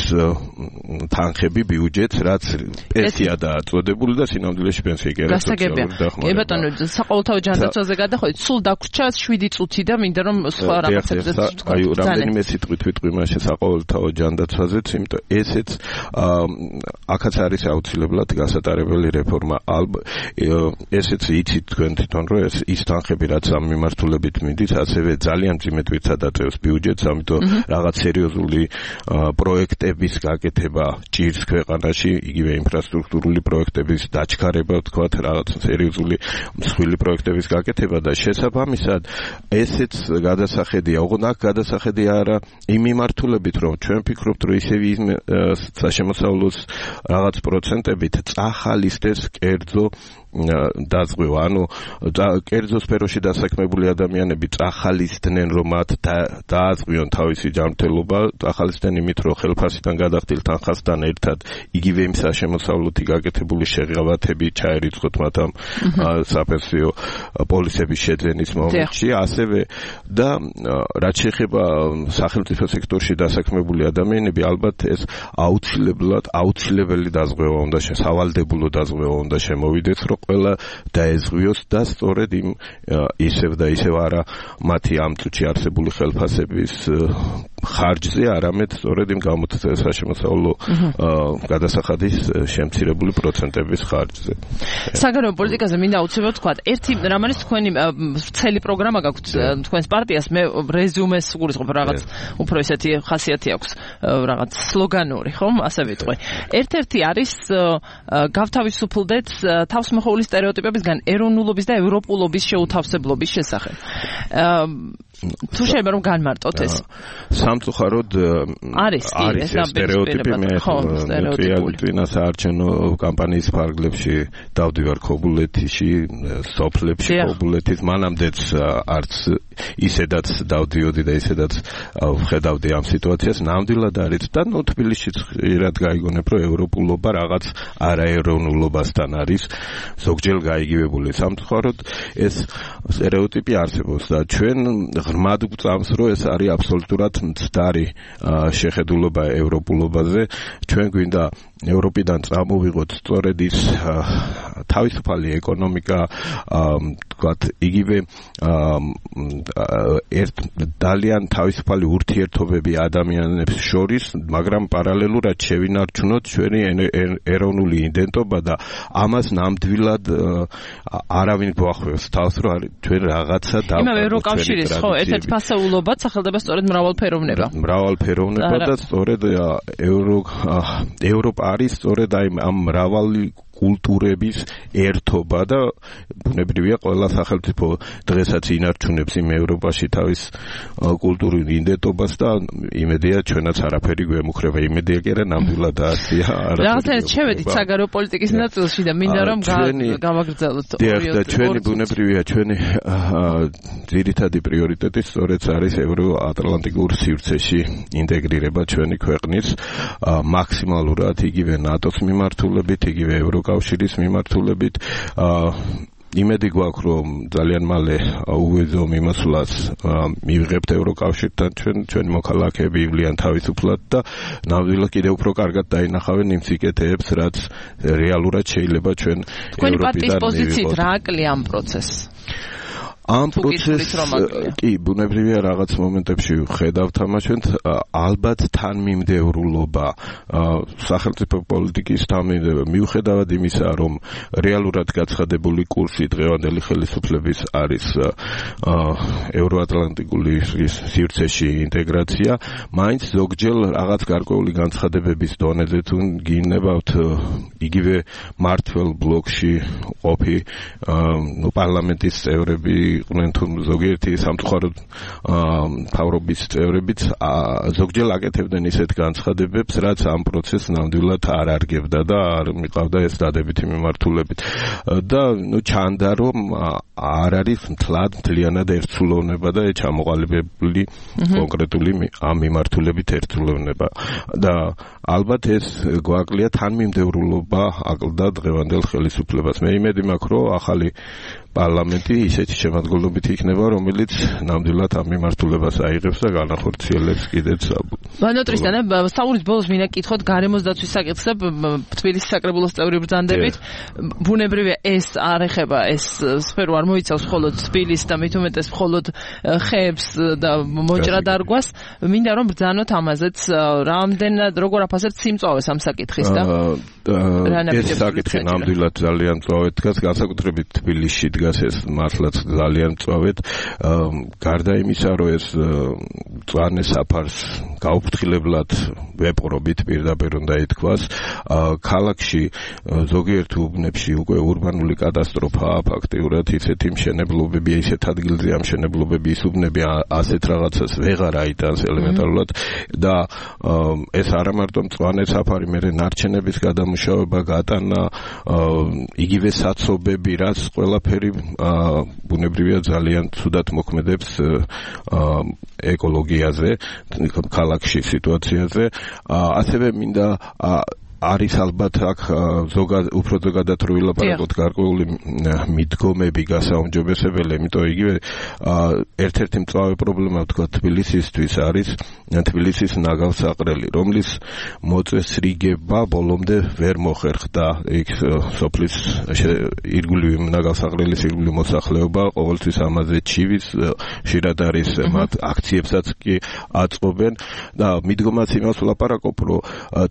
თანხები ბიუჯეტს, რაც პენსია დააწოდებული და სინამდვილეში პენსია კი არა სოციალური დახმარება. კი ბატონო, საყოველთაო ჯანდაცვაზე გადაходит, სულ დაგვრჩა შვიდი წუთი და მინდა რომ სხვა რაღაცებზე თქვა. აი, რამდენიმე სიტყვით ვიტყვი მაშინ საყოველთაო ჯანდაცვაზეც, იმიტომ ესეც აქაც არის აუცილებლად გასატარებელი რეფორმა. ესეც იცით თქვენ თვითონ, რომ ეს ის თანხები, რაც ამ მიმართულებით მიდის, ასევე ძალიან მძიმე ტვირთად აწევს ბიუჯეტს, ამიტომ რაღაც სერიოზული პროექტების გაკეთება ჭირს ქვეყანაში, იგივე ინფრასტრუქტურული პროექტების დაჩქარება, თქვათ, რაღაც სერიოზული მსხვილი პროექტების გაკეთება და შესაბამისად ესეც გადასახედია, ოღონდ აქ გადასახედი არა იმ მიმართულებით, რომ ჩვენ ფიქრობთ, რომ ისევ იმ საშემოსავლოს რაღაც პროცენტებით წახალისდეს კერძო დაზღვევა, ანუ კერძო სფეროში დასაქმებული ადამიანები წახალისდნენ, რომ მათ დააზღვიონ თავისი ჯანმრთელობა, წახალისდნენ იმით, რომ ხელფასიდან გადახდილ თანხასთან ერთად იგივე იმ საშემოსავლოთი გაკეთებული შეღავათები ჩაერიცხოთ მათ ამ საპენსიო პოლისების შეძენის მომენტში, ასევე და რაც შეეხება სახელმწიფო სექტორში დასაქმებული ადამიანები, ალბათ ეს აუცილებლად აუცილებელი დაზღვევა უნდა სავალდებულო დაზღვევა უნდა შემოვიდეს, რომ ყველა დაეზღვიოს და სწორედ იმ ისევ და ისევ არა მათი ამ წუთში არსებული ხელფასების ხარჯზე, არამედ სწორედ იმ გამოცდილებასაშემოსავლო გადასახადის შემცირებული პროცენტების ხარჯზე. საგარეო პოლიტიკაზე მინდა აუცილებლად ვთქვა, ერთი რამ არის თქვენი ვრცელი პროგრამა გაქვთ თქვენს პარტიას, მე რეზიუმეს გულისხმობ, რაღაც უფრო ესეთი ხასიათი აქვს, რაღაც სლოგანური, ხომ? ასე ვიტყვი. ერთ-ერთი არის გავთავისუფლდეთ თავსმოხეული სტერეოტიპებისგან ეროვნულობის და ევროპულობის შეუთავსებლობის შესახებ. თუ შეიძლება რომ განმარტოთ ეს სამწუხაროდ არის არის სტერეოტიპი მე წინა საარჩევნო კამპანიის ფარგლებში დავდივარ ქობულეთში სოფლებში ქობულეთის მანამდეც არც ისედაც დავდიოდი და ისედაც ვხედავდი ამ სიტუაციას ნამდვილად არის და ნუ თბილისშიც ხშირად გაიგონებ რომ ევროპულობა რაღაც არაეროვნულობასთან არის ზოგჯერ გაიგივებული სამწუხაროდ ეს სტერეოტიპი არსებობს და ჩვენ ღრმად გვწამს რომ ეს არის აბსოლუტურად მცდარი შეხედულობა ევროპულობაზე ჩვენ გვინდა ევროპიდან წამოვიღოთ სწორედ ის თავისუფალი ეკონომიკა თქვათ იგივე ერთ ძალიან თავისუფალი ურთიერთობები ადამიანებს შორის მაგრამ პარალელურად შევინარჩუნოთ ჩვენი ეროვნული იდენტობა და ამას ნამდვილად არავინ გვახვევს თავს რომ ჩვენ რაღაცა და იმავე ევროკავშირის ხო ერთ-ერთი ფასეულობაც სახელდება სწორედ მრავალფეროვნება მრავალფეროვნება და სწორედ ევრო ევროპა არის სწორედ აი ამ მრავალი კულტურების ერთობა და ბუნებრივია ყველა სახელმწიფო დღესაც ინარჩუნებს იმ ევროპაში თავის კულტურულ იდენტობას და იმედია ჩვენაც არაფერი გვემუქრება იმედია კი არა ნამდვილად ასია რაღაცა შევედით საგარეო პოლიტიკის ნაწილში და მინდა რომ გავაგრძელოთ და ჩვენი ბუნებრივია ჩვენი ძირითადი პრიორიტეტი სწორედ არის ევროატლანტიკურ სივრცეში ინტეგრირება ჩვენი ქვეყნის მაქსიმალურად იგივე ნატოს მიმართულებით იგივე ევრო კავშირის მიმართულებით იმედი გვაქვს რომ ძალიან მალე უვეძო მიმოსვლას მივიღებთ ევროკავშირთან ჩვენ ჩვენი მოქალაქეები ივლიან თავისუფლად და ნამდვილად კიდევ უფრო კარგად დაინახავენ იმ სიკეთეებს რაც რეალურად შეიძლება ჩვენ თქვენი პარტიის პოზიციით რა აკლია ამ პროცესს ამ პროცესს კი ბუნებრივია რაღაც მომენტებში ხედავთ ამაჩვენთ ალბათ თანმიმდევრულობა სახელმწიფო პოლიტიკის თანმიმდევრულობა მიუხედავად იმისა რომ რეალურად გაცხადებული კურსი დღევანდელი ხელისუფლების არის ევროატლანტიკული სივრცეში ინტეგრაცია მაინც ზოგჯერ რაღაც გარკვეული განცხადებების დონეზე თუ გინებავთ იგივე მართველ ბლოკში ყოფი ნუ პარლამენტის წევრები იყვნენ თუ ზოგიერთი სამწუხაროდ მთავრობის წევრებიც ზოგჯერ აკეთებდნენ ისეთ განცხადებებს, რაც ამ პროცესს ნამდვილად არ არგებდა და არ მიყავდა ეს დადებითი მიმართულებით. და ნუ ჩანდა რომ არ არის მთლად მთლიანად ერთსულოვნება და ჩამოყალიბებული კონკრეტული ამ მიმართულებით ერთსულოვნება. და ალბათ ეს გვაკლია თანმიმდევრულობა აკლდა დღევანდელ ხელისუფლებას. მე იმედი მაქვს რომ ახალი პარლამენტი ისეთი შემადგენლობით იქნება, რომელიც ნამდვილად ამ მიმართულებას აიღებს და განახორციელებს კიდეც. მანოტრისთან საურის ბოლოს მინდა კითხოთ გარემოს დაცვის საკითხზე თბილისის საკრებულოს წევრი ბრძანდებით. ბუნებრივია ეს არ ეხება ეს სფერო არ მოიცავს მხოლოდ თბილისს და მით უმეტეს მხოლოდ ხეებს და მოჭრა დარგვას. მინდა რომ ბრძანოთ ამაზეც რამდენად როგორ აფასებთ სიმწვავეს ამ საკითხის და ეს საკითხი ნამდვილად ძალიან მწვავედ დგას განსაკუთრებით თბილისში დგას ეს მართლაც ძალიან მწვავედ გარდა იმისა რომ ეს მწვანე საფარს გაუფრთხილებლად ვეპყრობით პირდაპირ უნდა ითქვას ქალაქში ზოგიერთ უბნებში უკვე ურბანული კატასტროფაა ფაქტიურად ისეთი მშენებლობები ისეთ ადგილზე ამ მშენებლობები ის უბნები ასეთ რაღაცას ვეღარ აიტანს ელემენტარულად და ეს არა მარტო მწვანე საფარი მე ნარჩენების გადამუშავება გატანა იგივე საცობები რაც ყველაფერი ბუნებრივია ძალიან ცუდად მოქმედებს ეკოლოგიაზე ქალაქში სიტუაციაზე ასევე მინდა არის ალბათ აქ ზოგად უფრო ზოგადად რო ვილაპარაკოთ გარკვეული მიდგომები გასაუმჯობესებელი, იმიტომ იგივე ერთ-ერთი მწვავე პრობლემა ვთქვა თბილისისთვის არის თბილისის ნაგავსაყრელი, რომლის მოწესრიგება ბოლომდე ვერ მოხერხდა. იქ სოფლის ირგვლივ ნაგავსაყრელის ირგვლივ მოსახლეობა ყოველთვის ამაზე ჩივის, ხშირად არის მათ აქციებსაც კი აწყობენ და მიდგომაც იმას ვლაპარაკობ, რომ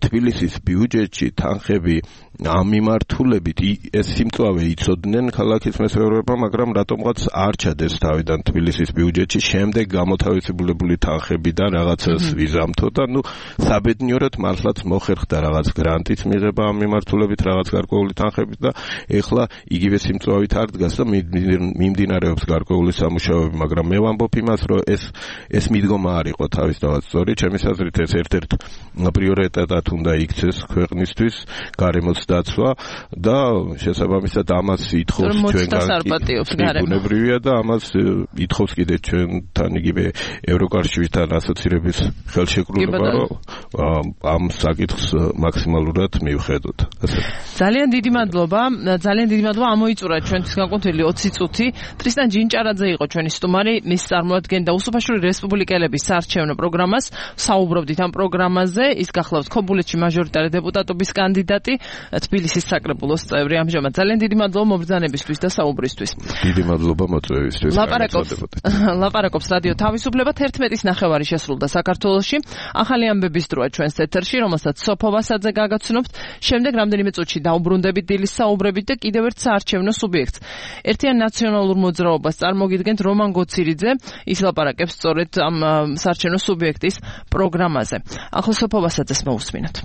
თბილისის ბიუჯეტი ბიუჯეტში თანხები ამ მიმართულებით ეს სიმწვავე იცოდნენ ქალაქის მესვერებმა, მაგრამ რატომღაც არ ჩადეს თავიდან თბილისის ბიუჯეტში შემდეგ გამოთავისუფლებული თანხებიდან რაღაცას ვიზამთოთ, ანუ საბედნიეროდ მართლაც მოხერხდა რაღაც გრანტის მიღება ამ მიმართულებით რაღაც გარკვეული თანხებით და ეხლა იგივე სიმწვავით არ დგას და მიმდინარეობს გარკვეული სამუშაოები, მაგრამ მე ვამბობ იმას, რომ ეს ეს მიდგომა არ იყო თავისთავად სწორი, ჩემი აზრით ეს ერთ-ერთ პრიორიტეტად უნდა იქცეს ქვეყნისთვის გარემოს დაცვა და შესაბამისად ამას ითხოვს ჩვენგან ბუნებრივია და ამას ითხოვს კიდე ჩვენთან იგივე ევროკავშირთან ასოცირების ხელშეკრულება, რომ ამ საკითხს მაქსიმალურად მივხედოთ. ძალიან დიდი მადლობა, ძალიან დიდი მადლობა ამოიწურა ჩვენთვის განკუთვნილი ოცი წუთი. ტრისტან ჯინჭარაძე იყო ჩვენი სტუმარი, მის წარმოადგენდა უსუფაშური რესპუბლიკელების საარჩევნო პროგრამას. საუბრობდით ამ პროგრამაზე, ის გახლავს ქობულეთში მაჟორიტარი დეპუტატობის კანდიდატი, თბილისის საკრებულოს წევრი. ამჟამად ძალიან დიდი მადლობა მობრძანებისთვის და საუბრისთვის. დიდი მადლობა მოწვევისთვის. ლაპარაკობს რადიო თავისუფლება. თერთმეტის ნახევარი შესრულდა საქართველოში. ახალი ამბების დროა ჩვენს ეთერში, რომელსაც სოფო ვასაძე გაგაცნობთ. შემდეგ რამდენიმე წუთში დაუბრუნდებით დილის საუბრებით და კიდევ ერთ საარჩევნო სუბიექტს. ერთიან ნაციონალურ მოძრაობას წარმოგიდგენთ რომან გოცირიძე. ის ლაპარაკებს სწორედ ამ საარჩევნო სუბიექტის პროგრამაზე. ახლა სოფო ვასაძეს მოусმინოთ.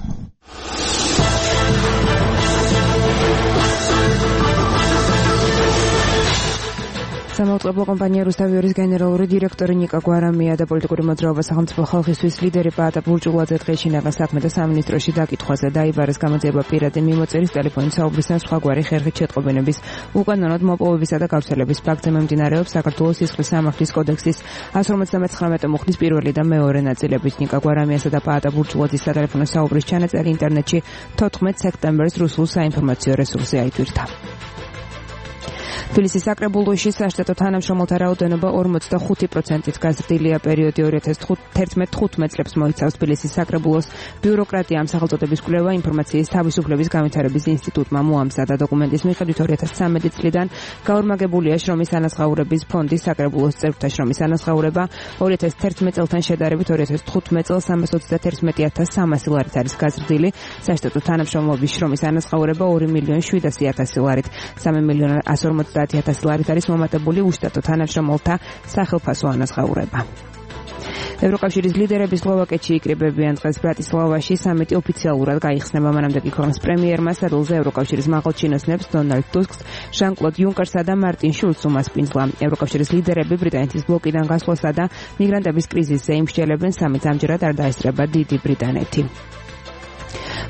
სამაუწყებლო კომპანია რუსთავიორის გენერალური დირექტორი ნიკა გვარამია და პოლიტიკური მოძრაობა სახელმწიფო ხალხისთვის ლიდერი პაატა ბურჭულაძე დღეს შინაგან საქმეთა სამინისტროში დაკითხვაზე დაიბარეს გამოძიება პირადი მიმოწერის ტელეფონით საუბრისთან სხვაგვარი ხერხით შეტყობინების უკანონოდ მოპოვებისა და გავრცელების ფაქტზე მიმდინარეობს საქართველოს სისხლის სამართლის კოდექსის εκατს ორმოცდამეცხრამეტე მუხლის პირველი და მეორე ნაწილებით. ნიკა გვარამიასა და პაატა ბურჭულაძის სატელეფონო საუბრის ჩანაწერი ინტერნეტში თოთხმეტ სექტემბერს რუსულ საინფორმაციო რესურსზე აიტვირთა. თბილისის საკრებულოში საშტატო თანამშრომელთა რაოდენობა ორმოცდახუთი პროცენტით გაზრდილია. პერიოდი ორი ათას თხუთმეტ წლებს მოიცავს. თბილისის საკრებულოს ბიუროკრატია ამ სახელწოდების კვლევა ინფორმაციის თავისუფლების განვითარების ინსტიტუტმა მოამზადა. დოკუმენტის მიხედვით ორი ათას ცხრამეტი წლიდან გაორმაგებულია შრომის ანაზღაურების ფონდის საკრებულოს წევრთა შრომის ანაზღაურება. ორი ათას თერთმეტ წელთან შედარებით ორი ათას თხუთმეტ წელს სამას ოცდათერთმეტი ათას სამასი ლარით არის გაზრდილი. საშტატო თანამშრომლობის შრომის ანაზღაურება ორი მილიონი შვიდასი ათასი ლარით. სამი მილიონი ასი ორმოცდაათი ათასი ლარით არის მომატებული უშტატო თანამშრომელთა სახელფასო ანაზღაურება. ევროკავშირის ლიდერები სლოვაკეთში იკრიბებიან დღეს ბრატისლავაში. სამიტი ოფიციალურად გაიხსნება. მანამდე კი ქვეყნის პრემიერმა სადელზე ევროკავშირის მაღალჩინოსნებს დონალდ ტუსკს, ჟან-კლოდ იუნკერსა და მარტინ შულცს უმასპინძლა. ევროკავშირის ლიდერები ბრიტანეთის ბლოკიდან გასვლასა და მიგრანტების კრიზისზე იმსჯელებენ. სამიტს ამჯერად არ დაესწრება დიდი ბრიტანეთი.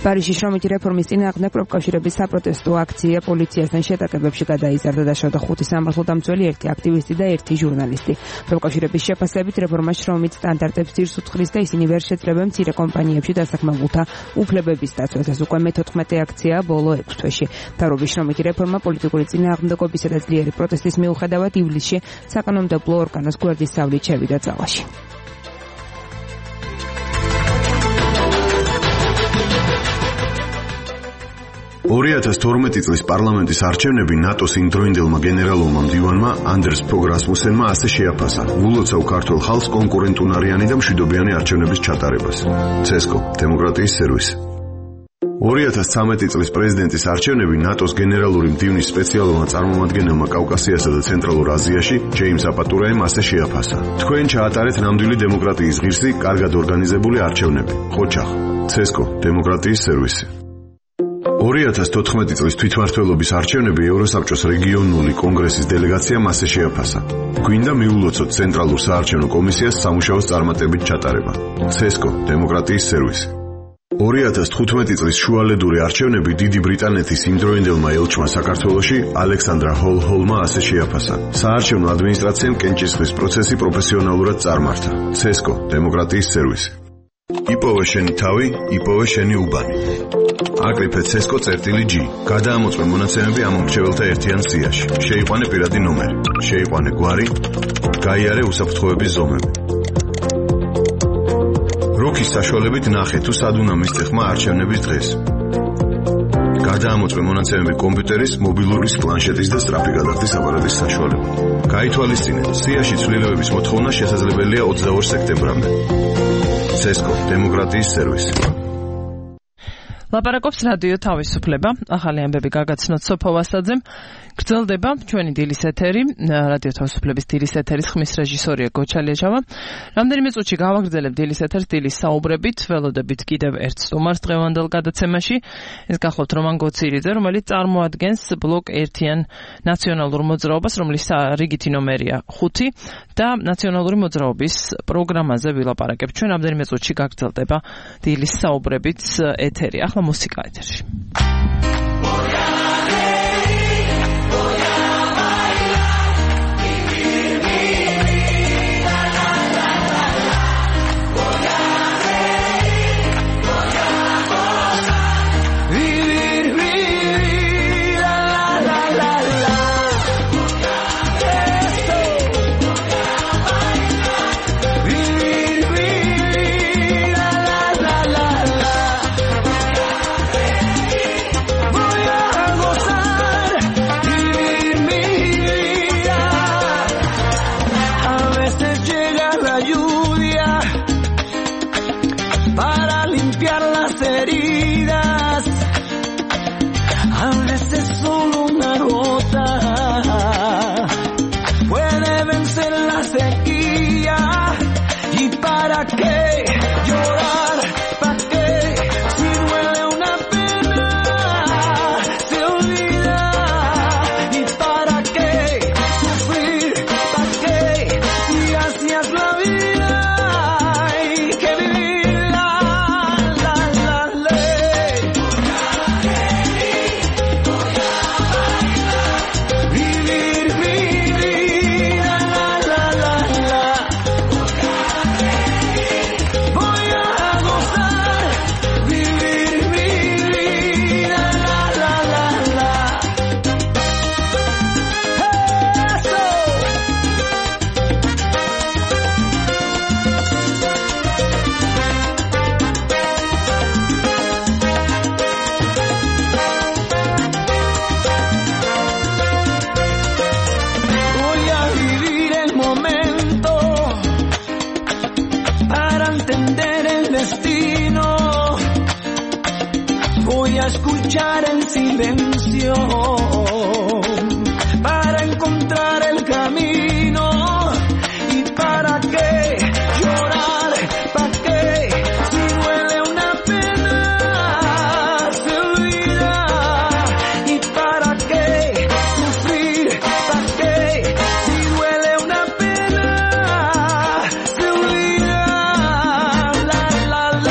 პარიზში შრომითი რეფორმის წინააღმდეგ პროფკავშირების საპროტესტო აქცია პოლიციასთან შეტაკებებში გადაიზარდა. დაშავდა ხუთი სამართლდამცველი, ერთი აქტივისტი და ერთი ჟურნალისტი. პროფკავშირების შეფასებით რეფორმა შრომით სტანდარტებს ძირს უძღვის და ისინი ვერ შეძლებენ მცირე კომპანიებში დასაქმებულთა უფლებების დაცვას. ეს უკვე მეთოთხმეტე აქციაა ბოლო ექვს თვეში. მთავრობის შრომითი რეფორმა პოლიტიკური წინააღმდეგობისა და ძლიერი პროტესტის მიუხედავად ივლისში საკანონმდებლო ორგანოს გვერდის სავლით შევიდა ძალაში. ორი ათას თორმეტი წლის პარლამენტის არჩევნები ნატოს იმდროინდელმა გენერალურმა მდივანმა ანდერს ფოგ რასმუსენმა ასე შეაფასა ულოცავ ქართულ ხალხს კონკურენტუნარიანი და მშვიდობიანი არჩევნების ჩატარებას. ცესკო დემოკრატიის სერვისი. ორი ათას ცხრამეტი წლის პრეზიდენტის არჩევნები ნატოს გენერალური მდივნის სპეციალურმა წარმომადგენელმა კავკასიასა და ცენტრალურ აზიაში ჯეიმს აპატურაემ ასე შეაფასა. თქვენ ჩაატარეთ ნამდვილი დემოკრატიის ღირსი, კარგად ორგანიზებული არჩევნები. ხოჩახ. ცესკო დემოკრატიის სერვისი. ორი ათას თოთხმეტი წლის თვითმმართველობის არჩევნები ევროსაბჭოს რეგიონული კონგრესის დელეგაციამ ასე შეაფასა. გვინდა მიულოცოთ ცენტრალურ საარჩევნო კომისიას სამუშაოს წარმატებით ჩატარება. ცესკო დემოკრატიის სერვისი. ორი ათას თხუთმეტი წლის შუალედური არჩევნები დიდი ბრიტანეთის იმდროინდელმა ელჩმა საქართველოში ალექსანდრა ჰოლჰოლმა ასე შეაფასა. საარჩევნო ადმინისტრაციამ კენჭისყრის პროცესი პროფესიონალურად წარმართა. ცესკო დემოკრატიის სერვისი. იპოვე შენი თავი, იპოვე შენი უბანი. აკრიფე ცესკო წერტილი G. გადაამოწმე მონაცემები ამ მომრჩეველთა ერთიან სიაში. შეიყვანე პირადი ნომერი. შეიყვანე გვარი. გაიარე უსაფრთხოების ზომები. როქის საშუალებით ნახე თუ სად უნდა მისწეხმა არჩევნების დღეს. გადაამოწმე მონაცემები კომპიუტერის, მობილურის, პლანშეტის და სწრაფი გადახდის აპარატის საშუალებით. გაითვალისწინეთ, სიაში ცვლილებების მოთხოვნა შესაძლებელია ოცდაორ სექტემბრამდე. ცესკო დემოკრატიის სერვისი. ლაპარაკობს რადიო თავისუფლება, ახალი ამბები გაგაცნოთ სოფო ვასაძემ. გრძელდება ჩვენი დილის ეთერი, რადიო თავისუფლების დილის ეთერის ხმის რეჟისორია გოჩალიაჟავა. რამდენიმე წუთში გავაგრძელებ დილის ეთერს დილის საუბრებით, ველოდებით კიდევ ერთ სტუმარს დღევანდელ გადაცემაში. ეს გახლავთ რომან გოცირიძე, რომელიც წარმოადგენს ბლოკ ერთიან ნაციონალურ მოძრაობას, რომლის რიგითი ნომერია ხუთი და ნაციონალური მოძრაობის პროგრამაზე ვილაპარაკებ. ჩვენ რამდენიმე წუთში გაგრძელდება დილის საუბრებით ეთერი. ახლა მუსიკა ეთერში. Escuchar en silencio para encontrar el camino y para qué llorar, para qué si duele una pena se olvida y para qué sufrir, para qué si duele una pena se olvida la la la.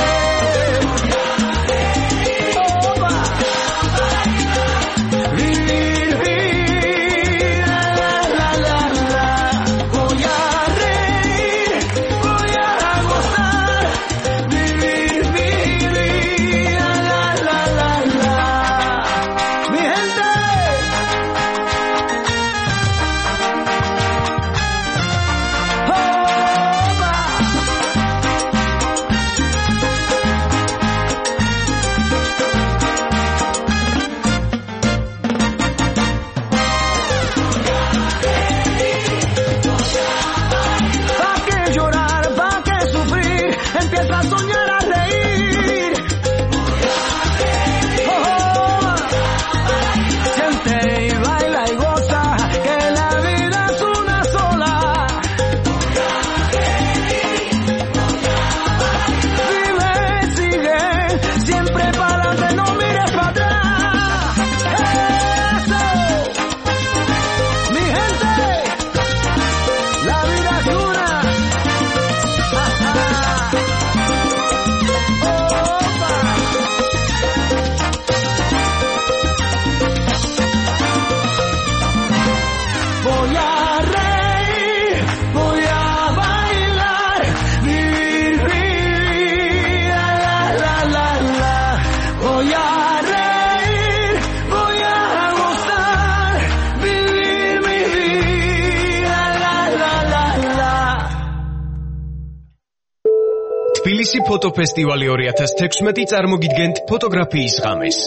თბილისი ფოტოფესტივალი ორი ათას თექვსმეტი წარმოგიდგენთ ფოტოგრაფიის ღამეს.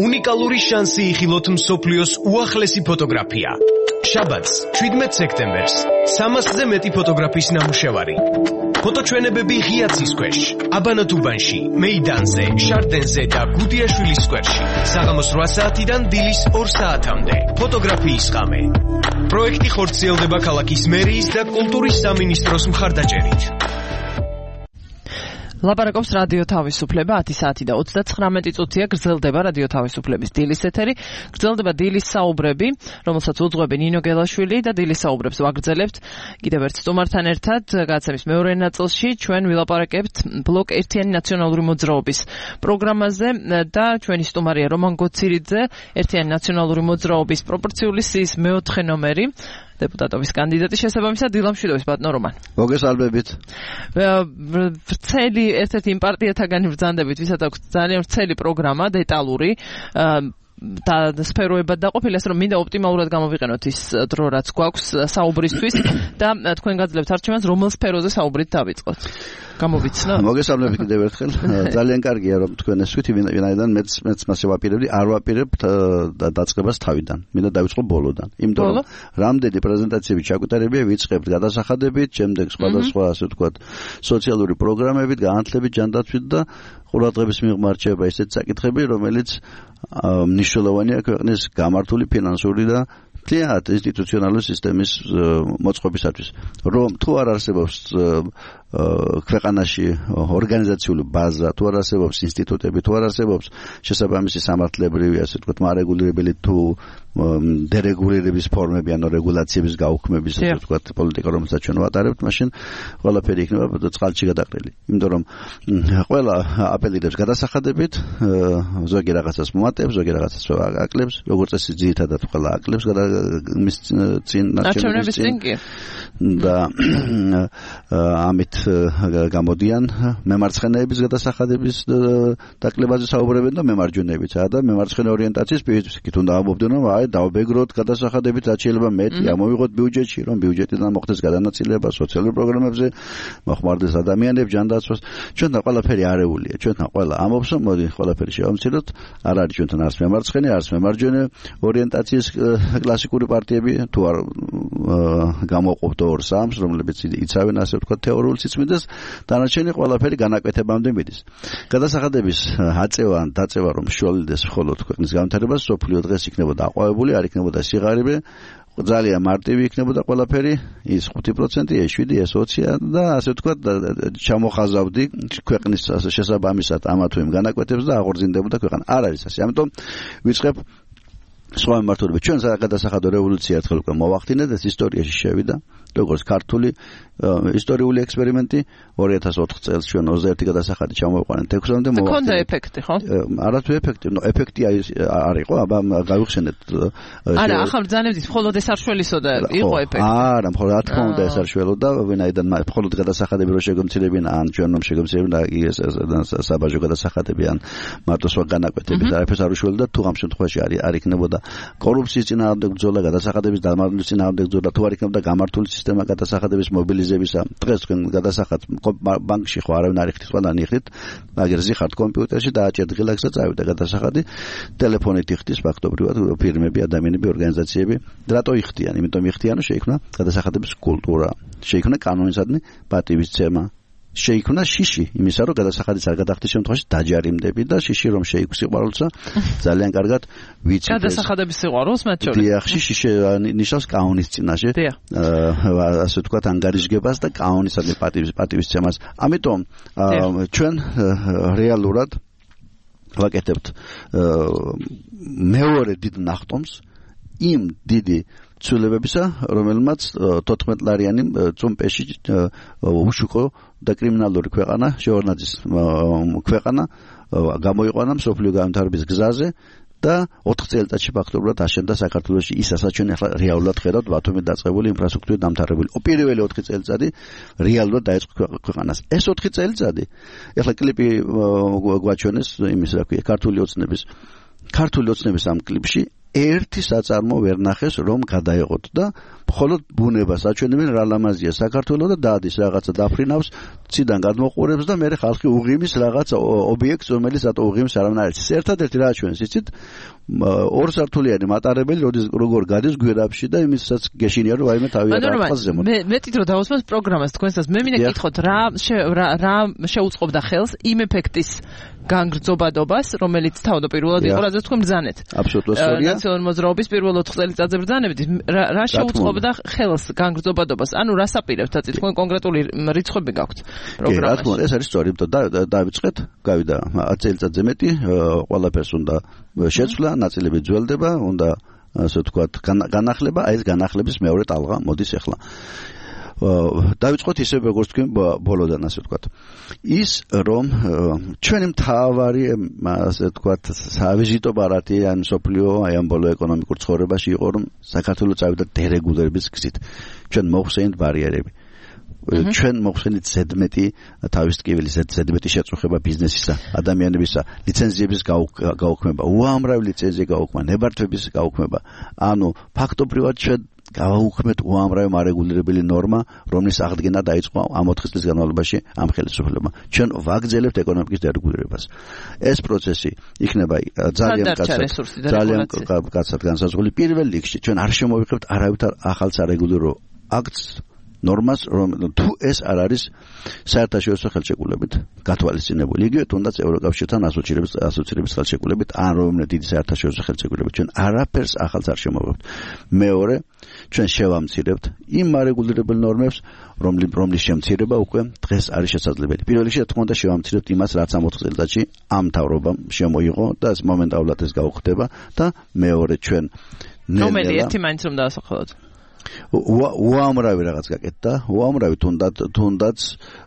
უნიკალური შანსი იხილოთ მსოფლიოს უახლესი ფოტოგრაფია. შაბათს, შვიდმეტ სექტემბერს, სამასზე მეტი ფოტოგრაფის ნამუშევარი. ფოტოჩვენებები ღიაცის ქვეშ, აბანათუბანში, მეიდანზე, შარდენზე და გუდიაშვილის სკვერში. საღამოს რვა საათიდან დილის ორ საათამდე. ფოტოგრაფიის ღამე. პროექტი ხორციელდება ქალაქის მერიის და კულტურის სამინისტროს მხარდაჭერით. ლაპარაკობს რადიო თავისუფლება ათი საათი და ოცდაცხრამეტი წუთია გრძელდება რადიო თავისუფლების დილის ეთერი. გრძელდება დილის საუბრები, რომელსაც უძღვები ნინო გელაშვილი და დილის საუბრებს ვაგრძელებთ კიდევ ერთ სტუმართან ერთად. გადაცემის მეორე ნაწილში ჩვენ ვილაპარაკებთ ბლოკ ერთიანი ნაციონალური მოძრაობის პროგრამაზე და ჩვენი სტუმარია რომან გოცირიძე, ერთიანი ნაციონალური მოძრაობის პროპორციული სიის მეოთხე ნომერი. დეპუტატობის კანდიდატი შესაბამისად დილამშვიდობის ბატონო რომან. მოგესალმებით. ვრცელი ერთ-ერთი იმ პარტიათაგანი ბრძანდებით, ვისაც აქვს ძალიან ვრცელი პროგრამა, დეტალური და სფეროებად დაყოფილი, ასე რომ მინდა ოპტიმალურად გამოვიყენოთ ის დრო, რაც გვაქვს საუბრისთვის და თქვენ გაძლევთ არჩევანს, რომელ სფეროზე საუბრით დავიწყოთ. გამოვიცნოთ. მოგესალმებით კიდევ ერთხელ. ძალიან კარგია რომ თქვენ ეს ვთქვით, ვინაიდან მეც მეც მასე ვაპირებდი, არ ვაპირებთ დაწყებას თავიდან. მინდა დავიწყო ბოლოდან. იმიტომ რომ რამდენი პრეზენტაციები ჩაგვიტარებია, ვიწყებთ გადასახადებით, შემდეგ სხვადასხვა ასე ვთქვათ, სოციალური პროგრამებით, განათლებით, ჯანდაცვით და ყურადღების მიღმა რჩება ესეთ საკითხები, რომელიც მნიშვნელოვანია ქვეყნის გამართული ფინანსური და თეატ ინსტიტუციონალური სისტემის მოწყობისათვის. რომ თუ არ არსებობს ქვეყანაში ორგანიზაციული ბაზა, თუ არ არსებობს ინსტიტუტები, თუ არ არსებობს შესაბამისი სამართლებრივი, ასე ვთქვათ, მარეგულირებელი თუ დერეგულირების ფორმები, ანუ რეგულაციების გაუქმების, ასე ვთქვათ, პოლიტიკა, რომელსაც ჩვენ ვატარებთ, მაშინ ყველაფერი იქნება წყალში გადაყრილი. იმიტომ რომ ყველა აპელირებს გადასახადებით, ზოგი რაღაცას მომატებს, ზოგი რაღაცას აკლებს, როგორც წესი ძირითადად ყველა აკლებს მის წინ არჩევნების წინ კი და ამით გამოდიან მემარცხენეების გადასახადების დაკლებაზე საუბრებენ და მემარჯვენეებიც და მემარცხენე ორიენტაციის პირისპირ უნდა ამობდნენ რომ აი დავბეგროთ გადასახადებით რაც შეიძლება მეტი ამოვიღოთ ბიუჯეტში რომ ბიუჯეტიდან მოხდეს გადანაწილება სოციალურ პროგრამებზე მოხმარდეს ადამიანებს ჯანდაცვას ჩვენთან ყველაფერი არეულია ჩვენთან ყველა ამობს რომ მოდი ყველაფერი შევამციროთ არ არის ჩვენთან არც მემარცხენე არც მემარჯვენე ორიენტაციის კლასიკური პარტიები თუ არ გამოყოფთ ორ სამს რომლებიც იცავენ ასე ვთქვათ თეორიულ სიწმინდეს დანარჩენი ყველაფერი განაკვეთებამდე მიდის გადასახადების აწევა ან დაწევა რომ შუალედეს მხოლოდ ქვეყნის განვითარებას სოფლიო დღეს იქნებოდა აყვავებული არ იქნებოდა სიღარიბე ძალიან მარტივი იქნებოდა ყველაფერი ის ხუთი პროცენტი ეს შვიდი ეს ოცი და ასე ვთქვათ ჩამოხაზავდი ქვეყნის შესაბამისად ამა თუ იმ განაკვეთებს და აღორძინდებოდა ქვეყანა არ არის ასე ამიტომ ვიწყებ სხვა მმართველები ჩვენ გადასახადო რევოლუცია ერთხელ უკვე მოვახდინეთ ეს ისტორიაში შევიდა როგორც ქართული ისტორიული ექსპერიმენტი ორი ათას ოთხ წელს ჩვენ ოცდაერთი გადასახადი ჩამოვიყვანეთ ექვსამდე მოვახდინეთ. ქონდა ეფექტი, ხო? არათუ ეფექტი, ნუ ეფექტი არ იყო, აბა გავიხსენეთ. არა, ახლა ბრძანებდით, მხოლოდ ეს არ შველისოდა, იყო ეფექტი. არა, მხოლოდ რა თქმა უნდა ეს არ შველოდა, ვინაიდან მხოლოდ გადასახადები რო შეგემცირებინა, ან ჩვენ რომ შეგემცირებინა ის საბაჟო გადასახადები, ან მარტო სხვა განაკვეთები და არაფერს არ უშველოდა, თუ ამ შემთხვევაში არ იქნებოდა კორუფციის წინააღმდეგ ბრძოლა, გადასახადების დამარცხების წინააღმდეგ ბრძოლა, თუ არ იქნებოდა გამართული სისტემა გადასახადების მობილიზებისა. დღეს თქვენ გადასახადს ბანკში ხო არავინ არ იხდით, ყველანი იხდით, მაგრამ ზიხართ კომპიუტერში და აჭერთ ღილაკს და წავიდა გადასახადი, ტელეფონით იხდის ფაქტობრივად ფირმები, ადამიანები, ორგანიზაციები. რატო იხდიან? იმიტომ იხდიან, რომ შეიქმნა გადასახადების კულტურა, შეიქმნა კანონისადმი პატივისცემა. შეიქმნა შიში იმისა რომ გადასახადის არ გადახდის შემთხვევაში დაჯარიმდები და შიში რომ შეიქმნა სიყვარულსა ძალიან კარგად ვიცით გადასახადების სიყვარულს მათ შორის დიახ შიში ნიშნავს კანონის წინაშე ასე ვთქვათ ანგარიშგებას და კანონისადმი პატივის პატივისცემას ამიტომ ჩვენ რეალურად ვაკეთებთ მეორე დიდ ნახტომს იმ დიდი ცვლილებებისა, რომელმაც თოთხმეტლარიანი წუმპეში უშუქო და კრიმინალური ქვეყანა, ჟორნალის ქვეყანა გამოიყვანა მსოფლიო განვითარების გზაზე და ოთხ წელიწადში ფაქტობრივად აშენდა საქართველოში ის ასაც ჩვენ ახლა რეალურად ხედავთ ბათუმით დაწყებული ინფრასტრუქტურით დამთავრებული. პირველი ოთხი წელიწადი რეალურად დაიწყო ქვეყანას. ეს ოთხი წელიწადი ახლა კლიპი გვაჩვენეს იმის რა ქვია ქართული ოცნების ქართული ოცნების ამ კლიპში ერთი საწარმო ვერ ნახეს რომ გადაეღოთ და მხოლოდ ბუნებას აჩვენებენ რა ლამაზია საქართველო და დადის რაღაცა დაფრინავს ციდან გადმოყურებს და მე ხალხი უღიმის რაღაც ობიექტს, რომელიც ატო უღიმს არავინ არ იცის. ერთადერთი რა ჩვენს იცით, ორსართულიანი მატარებელი როდის როგორ გადის გვირაბში და იმისაც გეშინია რომ აიმე თავი არ აფხაზ ზემოთ. მე მეტით რომ დავუსმოთ პროგრამას თქვენსაც მე მინდა გითხოთ რა რა შეუწყობდა ხელს იმ ეფექტის განგრძობადობას, რომელიც თავდაპირველად იყო, რაზეც თქვენ ბრძანეთ. აბსოლუტურად სწორია. ნაციონალური მოძრაობის პირველ ოთხ წელიწადზე ბრძანებით, რა შეუწყობდა ხელს განგრძობადობას? ანუ რას აპირებთ, აცი თქვენ კონკრეტული რიცხვები გაქვთ პროგრამაში? კი, რა თქმა უნდა, ეს არის სწორი, დავიწყეთ, გავიდა ათი წელიწადზე მეტი, ყველაფერს უნდა შეცვლა, ნაწილები ძველდება, უნდა ასე ვთქვათ, განახლება, აი ეს განახლების მეორე ტალღა მოდის ახლა. დავიწყოთ ისე როგორც თქვენ ბოლოდან ასე ვთქვათ. ის რომ ჩვენი მთავარი ასე ვთქვათ სავიზიტო ბარათი ან სოფლიო აი ამ ბოლო ეკონომიკურ ცხოვრებაში იყო რომ საქართველოს წავიდა დერეგულირების გზით. ჩვენ მოხსენით ბარიერები. ჩვენ მოხსენით ზედმეტი თავის ტკივილი ზედმეტი შეწუხება ბიზნესისა, ადამიანებისა, ლიცენზიების გაუქმება, უამრავი ლიცენზია გაუქმება, ნებართვების გაუქმება. ანუ ფაქტობრივად ჩვენ გავაუქმეთ უამრავი მარეგულირებელი ნორმა, რომლის აღდგენა დაიწყო ამ ოთხ წლის განმავლობაში ამ ხელისუფლებამ. ჩვენ ვაგრძელებთ ეკონომიკის დერეგულირებას. ეს პროცესი იქნება ძალიან კაცად, ძალიან კაცად განსაზღვრული. პირველ რიგში ჩვენ არ შემოვიღებთ არავითარ ახალ სარეგულირებო აქტს, ნორმას, რომ თუ ეს არ არის საერთაშორისო ხელშეკრულებით გათვალისწინებული, იგივე თუნდაც ევროკავშირთან ასოცირების ასოცირების ხელშეკრულებით, ან რომელიმე დიდი საერთაშორისო ხელშეკრულებით, ჩვენ არაფერს ახალს არ შემოვიღებთ. მეორე, ჩვენ შევამცირებთ იმ მარეგულირებელ ნორმებს, რომლის შემცირება უკვე დღეს არის შესაძლებელი. პირველ რიგში, რა თქმა უნდა, შევამცირებთ იმას, რაც ამ ოთხ წელიწადში ამ მთავრობამ შემოიღო და ეს მომენტალურად ეს გაუხდება და მეორე ჩვენ რომელი ერთი მაინც რომ დაასახელოთ? უამრავი რაღაც გაკეთდა, უამრავი თუნდაც თუნდაც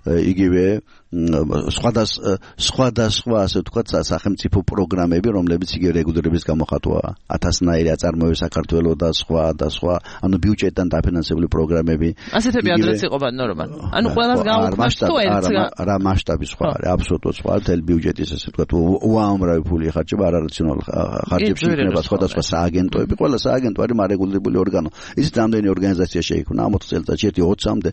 იგივე სხვადასხვა სხვადასხვა ასე ვთქვათ სახელმწიფო პროგრამები, რომლებიც იგივე რეგულირების გამოხატვაა. ათასნაირი აწარმოები საქართველოს და სხვა და სხვა, ანუ ბიუჯეტთან დაფინანსებული პროგრამები. ასეთები ადრეც იყო ნორმალ. ანუ ყველას გაუქმებთ თუ ერთს რა მასშტაბი სხვა არის, აბსოლუტურად სხვა, მთელი ბიუჯეტის ასე ვთქვათ უამრავი ფული ხარჯება არარაციონალ ხარჯებში იქნება სხვადასხვა სააგენტოები, ყველა სააგენტო არის მარეგულირებული ორგანო. ისიც რამდენი ორგანიზაცია შეიქმნა ამ ოთხ წელიწადში, ერთი ოცამდე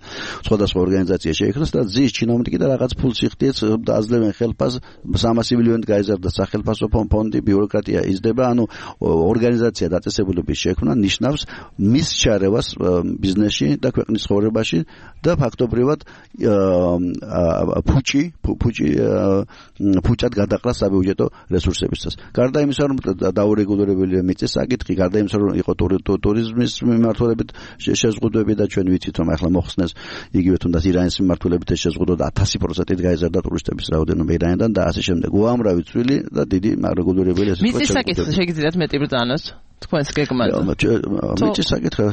სხვადასხვა ორგანიზაცია შეიქმნა და ზის ჩინოვნიკი და რაღაც ფულს იხდიეს და აძლევენ ხელფას სამასი მილიონით გაიზარდა სახელმწიფო ფონდი, ბიუროკრატია იზრდება, ანუ ორგანიზაცია დაწესებულების შექმნა ნიშნავს მის ჩარევას ბიზნესში და ქვეყნის ცხოვრებაში და ფაქტობრივად ფუჭი ფუჭი ფუჭად გადაყრა საბიუჯეტო რესურსებისას. გარდა იმისა, რომ დაურეგულირებელია მიწის საკითხი, გარდა იმისა, რომ იყო ტურიზმის მიმართულებით შეზღუდვები და ჩვენ ვიცით, რომ ახლა მოხსნეს იგივე თუნდაც ირანის მიმართულებით ეს შეზღუდვა ათასი პროცენტით გაიზარდა ტურისტების რაოდენობა ირანიდან და ასე შემდეგ. უამრავი წვილი და დიდი მარეგულირებელი ეს მიწის საკითხი შეგიძლიათ მეტი ბრძანოს თქვენს გეგმაზე. მიწის საკითხი,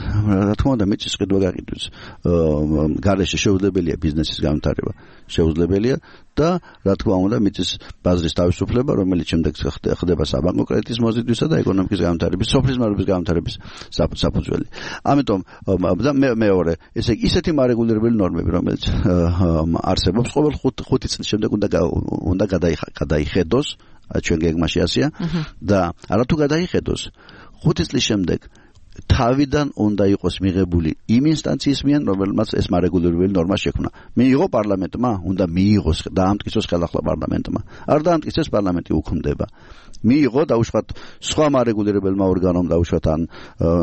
რა თქმა უნდა, მიწის ყიდვა გაყიდვის გარეშე შეუძლებელია ბიზნესის განვითარება, შეუძლებელია და რა თქმა უნდა, მიწის ბაზრის თავისუფლება, რომელიც შემდეგ ხდება საბანკო კრედიტის მოზიდვისა და ეკონომიკის განვითარების, სოფლის მართლობის განვითარების საფუძველი. ამიტომ და მეორე, ესე ისეთი მარეგულირებელი ნორმები, რომელიც არსებობს ყოველ ხუთი წლის შემდეგ უნდა უნდა გადაიხედოს, ჩვენ გეგმაში ასია და არათუ გადაიხედოს ხუთი წლის შემდეგ თავიდან უნდა იყოს მიღებული იმ ინსტანციის მიერ, რომელმაც ეს მარეგულირებელი ნორმა შექმნა. მიიღო პარლამენტმა, უნდა მიიღოს და ამტკიცოს ხელახლა პარლამენტმა. არ დაამტკიცეს პარლამენტი უქმდება. მიიღო დაუშვათ სხვა მარეგულირებელმა ორგანომ, დაუშვათ ან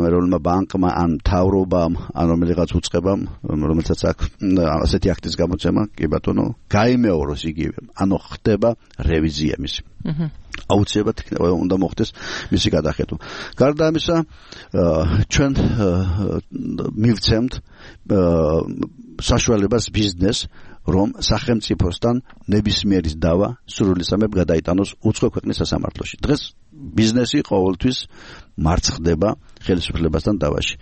ეროვნულმა ბანკმა, ან მთავრობამ, ან რომელიღაც უწყებამ, რომელსაც აქვს ასეთი აქტის გამოცემა, კი ბატონო, გაიმეოროს იგივე. ანუ ხდება რევიზია მისი. აჰა. აუცილებლად უნდა მოხდეს მისი გადახედვა. გარდა ამისა, ჩვენ მივცემთ საშუალებას ბიზნესს, რომ სახელმწიფოსთან ნებისმიერის დავა სრულისამებრ გადაიტანოს უცხო ქვეყნის სასამართლოში. დღეს ბიზნესი ყოველთვის მარცხდება ხელისუფლებასთან დავაში.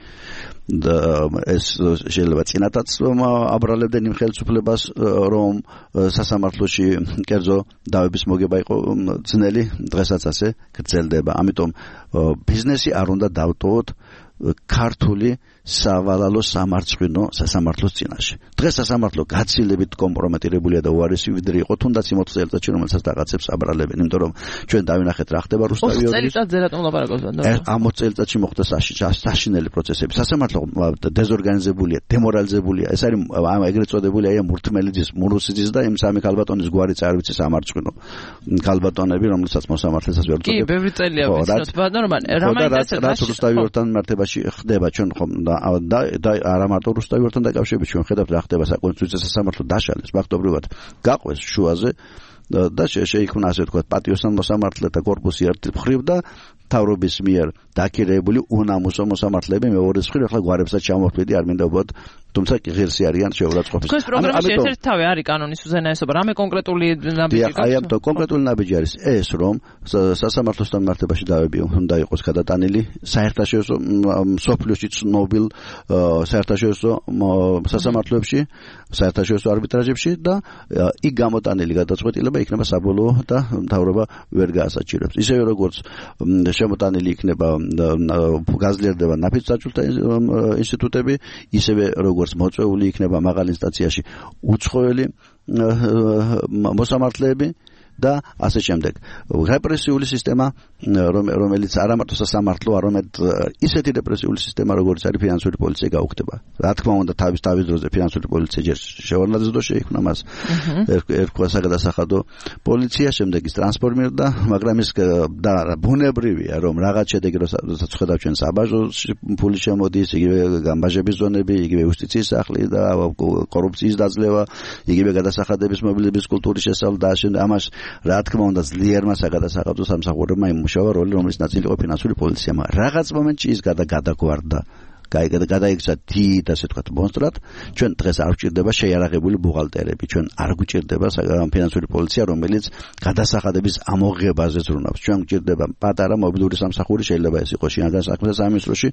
და ეს შეიძლება წინათაც აბრალებდნენ იმ ხელისუფლებას, რომ სასამართლოში კერძო დავების მოგება იყო ძნელი, დღესაც ასე გრძელდება. ამიტომ ბიზნესი არ უნდა დავტოვოთ ქართული სავალალო სამარცხვინო სასამართლოს წინაშე. დღეს სასამართლო გაცილებით კომპრომეტირებულია და უარესი ვიდრე იყო თუნდაც იმ ოთხ წელიწადში, რომელსაც რაღაცებს აბრალებენ, იმიტომ რომ ჩვენ დავინახეთ რა ხდება რუსთავი ოთხ წელიწადზე რატომ ლაპარაკობთ? ამ ოთხ წელიწადში მოხდა საშინელი პროცესები. სასამართლო დეზორგანიზებულია, დემორალიზებულია. ეს არის ამ ეგრეთ წოდებული აი მურთმელიძის, მურუსიძის და იმ სამი ქალბატონის გვარიც არ ვიცი სამარცხვინო ქალბატონები, რომელსაც მოსამართლესაც ვერ კი, ბევრი წელია ვიცნობთ, ბატონო, რამაინდასაც რაც რუსთავი ორთან მართებაში ხდება ჩვენ ხომ და და არა მარტო რუსთავი ორთან დაკავშირებით ჩვენ ხედავთ რა ხდება საკონსტიტუციო სასამართლო დაშალეს ფაქტობრივად გაყვეს შუაზე და შეიქმნა ასე ვთქვათ პატიოსან მოსამართლეთა კორპუსი ერთი მხრივ და თავრობის მიერ დაქირავებული უნამუსო მოსამართლეები მეორეს მხრივ ახლა გვარებსაც ჩამოვთვლიდი არ მინდა ვთქვათ თუმცა ღირსი არიან შეურაცხყოფის. თქვენს პროგრამაში ერთ-ერთი თავი არის კანონის უზენაესობა. რამე კონკრეტული ნაბიჯი გაქვს? აი ამ კონკრეტული ნაბიჯი არის ეს რომ სასამართლოსთან მართებაში დავები უნდა იყოს გადატანილი საერთაშორისო სოფლიოში ცნობილ საერთაშორისო სასამართლოებში, საერთაშორისო არბიტრაჟებში და იქ გამოტანილი გადაწყვეტილება იქნება საბოლოო და მთავრობა ვერ გაასაჭირებს. ისევე როგორც შემოტანილი იქნება გაზლიერდება ნაფიც-საჭურთა ინსტიტუტები, ისევე როგორც მოწვეული იქნება მაღალ ინსტანციაში უცხოელი მოსამართლეები და ასე შემდეგ. რეპრესიული სისტემა, რომელიც არა მარტო სასამართლო, არამედ ისეთი რეპრესიული სისტემა, როგორც არის ფინანსური პოლიცია გაუქმდება. რა თქმა უნდა, თავის თავის დროზე ფინანსური პოლიცია ჯერ შევალდაძე შეიქმნა მას. ერქვა საგადასახადო პოლიცია, შემდეგ ის ტრანსფორმირდა, მაგრამ ის და ბუნებრივია, რომ რაღაც შედეგი როდესაც ხედავ ჩვენ საბაჟოში ფული შემოდის, იგივე გამბაჟების ზონები, იგივე იუსტიციის სახლი და კორუფციის დაძლევა, იგივე გადასახადების მობილიზების კულტურის შესწავლა და ამას ამას რა თქმა უნდა ძლიერმა საგადასახადო სამსახურებმა იმუშავა როლი, რომელიც ნაწილი იყო ფინანსური პოლიცია, მაგრამ რაღაც მომენტში ის გადაგაგვარდა. გადაიქცა დიდ ასე ვთქვათ მონსტრად. ჩვენ დღეს არ გვჭირდება შეიარაღებული ბუღალტერები, ჩვენ არ გვჭირდება ფინანსური პოლიცია, რომელიც გადასახადების ამოღებაზე ზრუნავს. ჩვენ გვჭირდება პატარა მობილური სამსახური, შეიძლება ეს იყოს შინაგან საქმეთა სამინისტროში,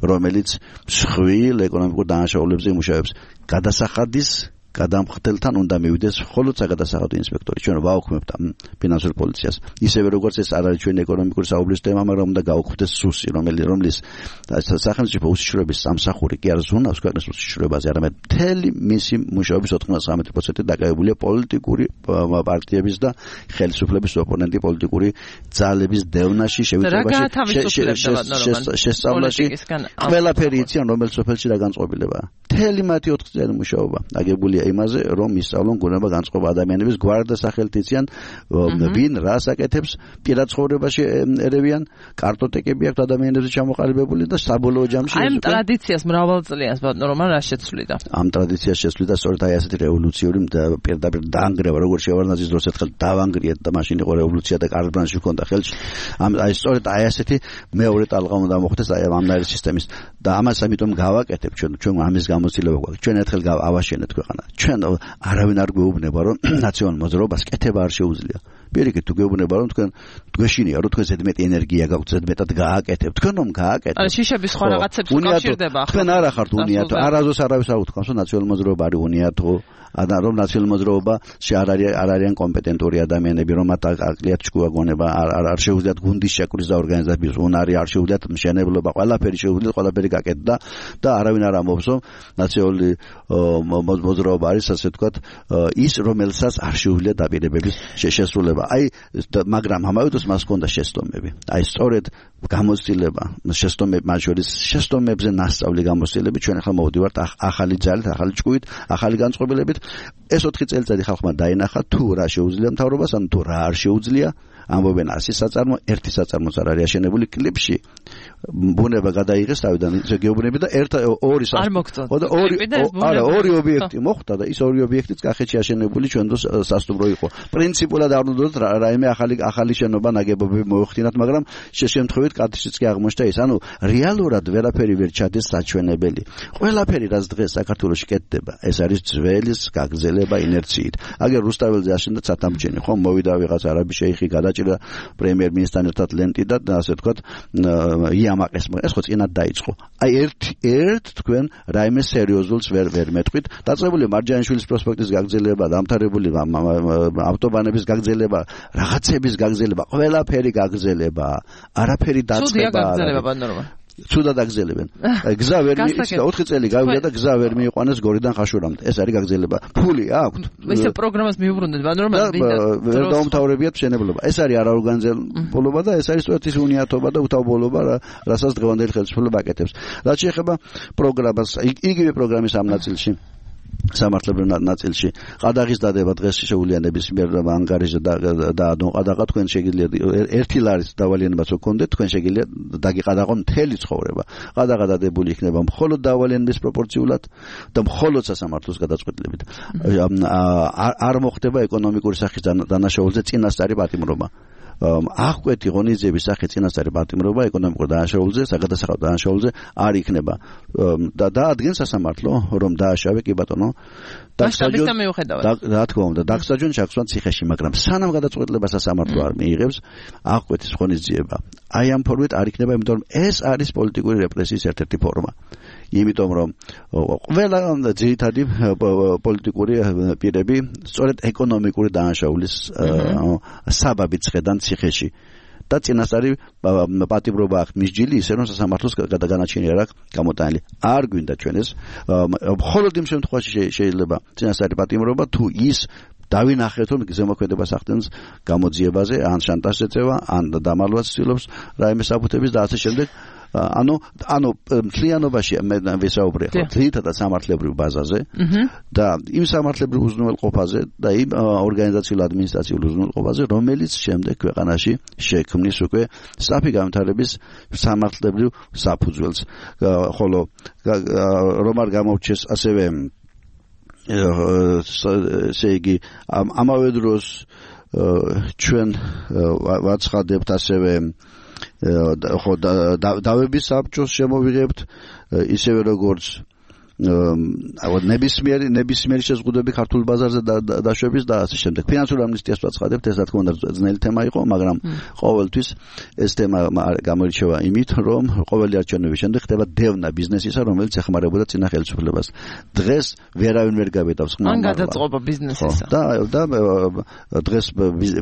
რომელიც მსხვილ ეკონომიკურ დანაშაულებებზე იმუშავებს. გადასახადის გადამხდელთან უნდა მივიდეს მხოლოდ საგადასახადო ინსპექტორი. ჩვენ ვაუქმებთ ფინანსურ პოლიციას. ისევე როგორც ეს არ არის ჩვენი ეკონომიკური საუბრის თემა, მაგრამ უნდა გაუქმდეს სუსი, რომელიც რომლის სახელმწიფო უსიშროების სამსახური კი არ ზრუნავს ქვეყნის უსიშროებაზე, არამედ მთელი მისი მუშაობის ოთხმოცდათხმეტ პროცენტი დაკავებულია პოლიტიკური პარტიების და ხელისუფლების ოპონენტი პოლიტიკური ძალების დევნაში, შევიწრებაში, შესწავლაში. ყველაფერი იციან, რომელ სოფელში რა განწყობილებაა. მთელი მათი ოთხ წელი მუშაობა აგებულია იმაზე, რომ ისწავლონ გუნება განწყობა ადამიანების გვარდა სახელით იციან, ვინ რას აკეთებს პირად ცხოვრებაში ერევიან, კარტოტეკები აქვთ ადამიანებზე ჩამოყალიბებული და საბოლოო ჯამში აი ამ ტრადიციას მრავალწლიანს ბატონო რომან რა შეცვლიდა? ამ ტრადიციას შეცვლიდა სწორედ აი ასეთი რევოლუციური პირდაპირ დაანგრევა, როგორც შევარდნაძის დროს ერთხელ დავანგრიეთ და მაშინ იყო რევოლუცია და კარლბრანში ჰქონდა ხელში. ამ აი სწორედ აი ასეთი მეორე ტალღა უნდა მოხდეს აი ამ ნაირი სისტემის და ამას ამიტომ გავაკეთებ ჩვენ ჩვენ ამის გამოცდილება გვაქვს. ჩვენ ერთხელ გავავაშენეთ ქვეყანა. ჩვენ არავინ არ გვეუბნება, რომ ნაციონალურ მოძრაობას კეთება არ შეუძლია. პირიქით თუ გვეუბნება, რომ თქვენ გვეშინია, რომ თქვენ ზედმეტი ენერგია გაქვთ, ზედმეტად გააკეთებთ. თქვენ რომ გააკეთებთ. არა, შიშების სხვა რაღაცებს უკავშირდება ახლა. თქვენ არ ახართ უნიათო. არაზოს არავის არ უთქვამს, რომ ნაციონალურ მოძრაობა არის უნიათო. და რომ ნაციონალურ მოძრაობა არ არის არ არიან კომპეტენტური ადამიანები, რომ მათ აკლიათ ჭკუა გონება, არ არ შეუძლიათ გუნდის შეკვრის და ორგანიზაციის უნარი, არ შეუძლიათ მშენებლობა, ყველაფერი შეუძლიათ, ყველაფერი გაკეთდა და არავინ არ ამბობს, რომ ნაციონალური მოძრაობა არის ასე ვთქვათ ის, რომელსაც არ შეუძლია დაპირებების შესრულება. აი, მაგრამ ამავე დროს მას ჰქონდა შეცდომები. აი, სწორედ გამოცდილება, შეცდომები, მათ შორის შეცდომებზე ნასწავლი გამოცდილები, ჩვენ ახლა მოვდივართ ახალი ძალით, ახალი ჭკუით, ახალი განწყობილებით. ეს ოთხი წელიწადი ხალხმა დაინახა თუ რა შეუძლია მთავრობას, ან თუ რა არ შეუძლია. ამბობენ ასი საწარმო, ერთი საწარმოც არ არის აშენებული კლიპში. ბუნება გადაიღეს თავიდან გეუბნები და ერთ ორი და ორი არა ორი ობიექტი მოხდა და ის ორი ობიექტიც კახეთში აშენებული ჩვენ დროს სასტუმრო იყო. პრინციპულად არ უნდათ რაიმე ახალი ახალი შენობა ნაგებობები მოეხდინათ, მაგრამ შემთხვევით კადრშიც კი აღმოჩნდა ის. ანუ რეალურად ვერაფერი ვერ ჩადეს საჩვენებელი. ყველაფერი რაც დღეს საქართველოში კეთდება, ეს არის ძველის გაგრძელება ინერციით. აგერ რუსთაველზე აშენდა ცათამბჯენი, ხო, მოვიდა ვიღაც არაბი შეიხი გადაჭირა პრემიერ-მინისტრთან ერთად ლენტი და ასე ვთქვათ იამაყეს, ეს ხო წინათ დაიწყო. აი ერთ ერთ თქვენ რაიმე სერიოზულს ვერ ვერ მეტყვით. დაწყებული მარჯანიშვილის პროსპექტის გაგრძელება, დამთავრებული ავტობანების გაგრძელება, რაღაცების გაგრძელება, ყველაფერი გაგრძელება, არაფერი დაწყება. ცუდია გაგრძელება ბანდორობა. ცუდად აგზელებენ. აი გზა ვერ მიიღეს და ოთხი წელი გავიდა და გზა ვერ მიიყვანეს გორიდან ხაშურამდე. ეს არის გაგზელება. ფული აქვთ. ესე პროგრამას მიუბრუნდეთ, მაგრამ ვერ დაუმთავრებიათ მშენებლობა. ეს არის არაორგანიზებულობა და ეს არის სწორედ ის უნიათობა და უთავბოლობა, რასაც დღევანდელი ხელისუფლება აკეთებს. რაც შეეხება პროგრამას, იგივე პროგრამის ამ ნაწილში სამართლებრივ ნაწილში ყადაღის დადება დღეს შეუძლიანების მიერ ანგარიშზე დაადო ყადაღა თქვენ შეგიძლიათ ერთი ლარის დავალიანებაც გქონდეთ თქვენ შეგიძლიათ დაგიყადაღონ მთელი ცხოვრება ყადაღა დადებული იქნება მხოლოდ დავალიანების პროპორციულად და მხოლოდ სასამართლოს გადაწყვეტილებით არ მოხდება ეკონომიკური სახის დანაშაულზე წინასწარი პატიმრობა აღკვეთი ღონისძიების სახით წინასწარი პატიმრობა ეკონომიკურ დანაშაულზე, საგადასახადო დანაშაულზე არ იქნება და დაადგენს სასამართლო რომ დააშავე კი ბატონო დასაჯონ რა თქმა უნდა დასაჯონ ჩაქსვან ციხეში, მაგრამ სანამ გადაწყვეტილება სასამართლო არ მიიღებს აღკვეთის ღონისძიება აი ამ ფორმით არ იქნება, იმიტომ რომ ეს არის პოლიტიკური რეპრესიის ერთ-ერთი ფორმა. იმიტომ რომ ყველა ძირითადი პოლიტიკური პირები სწორედ ეკონომიკური დანაშაულის საბაბით ხედან ციხეში და წინასწარი პატიმრობა აქვს მისჯილი ისე რომ სასამართლოს გადაგანაჩენი არ აქვს გამოტანილი. არ გვინდა ჩვენ ეს მხოლოდ იმ შემთხვევაში შეიძლება წინასწარი პატიმრობა თუ ის დავინახეთ რომ ზემოქმედებას ახდენს გამოძიებაზე ან შანტაჟს ეწევა ან დამალვას ცდილობს რაიმე საფუთების და ასე შემდეგ ანუ ანუ მთლიანობაში მე ვისაუბრე ხო ძირითადად სამართლებრივ ბაზაზე და იმ სამართლებრივ უზრუნველყოფაზე და იმ ორგანიზაციულ ადმინისტრაციულ უზრუნველყოფაზე რომელიც შემდეგ ქვეყანაში შექმნის უკვე საფი განვითარების სამართლებრივ საფუძველს ხოლო რომ არ გამოვრჩეს ასევე ესე იგი ამავე დროს ჩვენ ვაცხადებთ ასევე ხო დავების საბჭოს შემოვიღებთ ისევე როგორც ნებისმიერი ნებისმიერი შეზღუდვები ქართულ ბაზარზე დაშვების და ასე შემდეგ. ფინანსურ ამნისტიას ვაცხადებთ, ეს რა თქმა უნდა ძნელი თემა იყო, მაგრამ ყოველთვის ეს თემა გამოირჩევა იმით, რომ ყოველი არჩევნების შემდეგ ხდება დევნა ბიზნესისა, რომელიც ეხმარებოდა წინა ხელისუფლებას. დღეს ვერავინ ვერ გავედავს ხმა. ან გადაწყობა ბიზნესისა. და და დღეს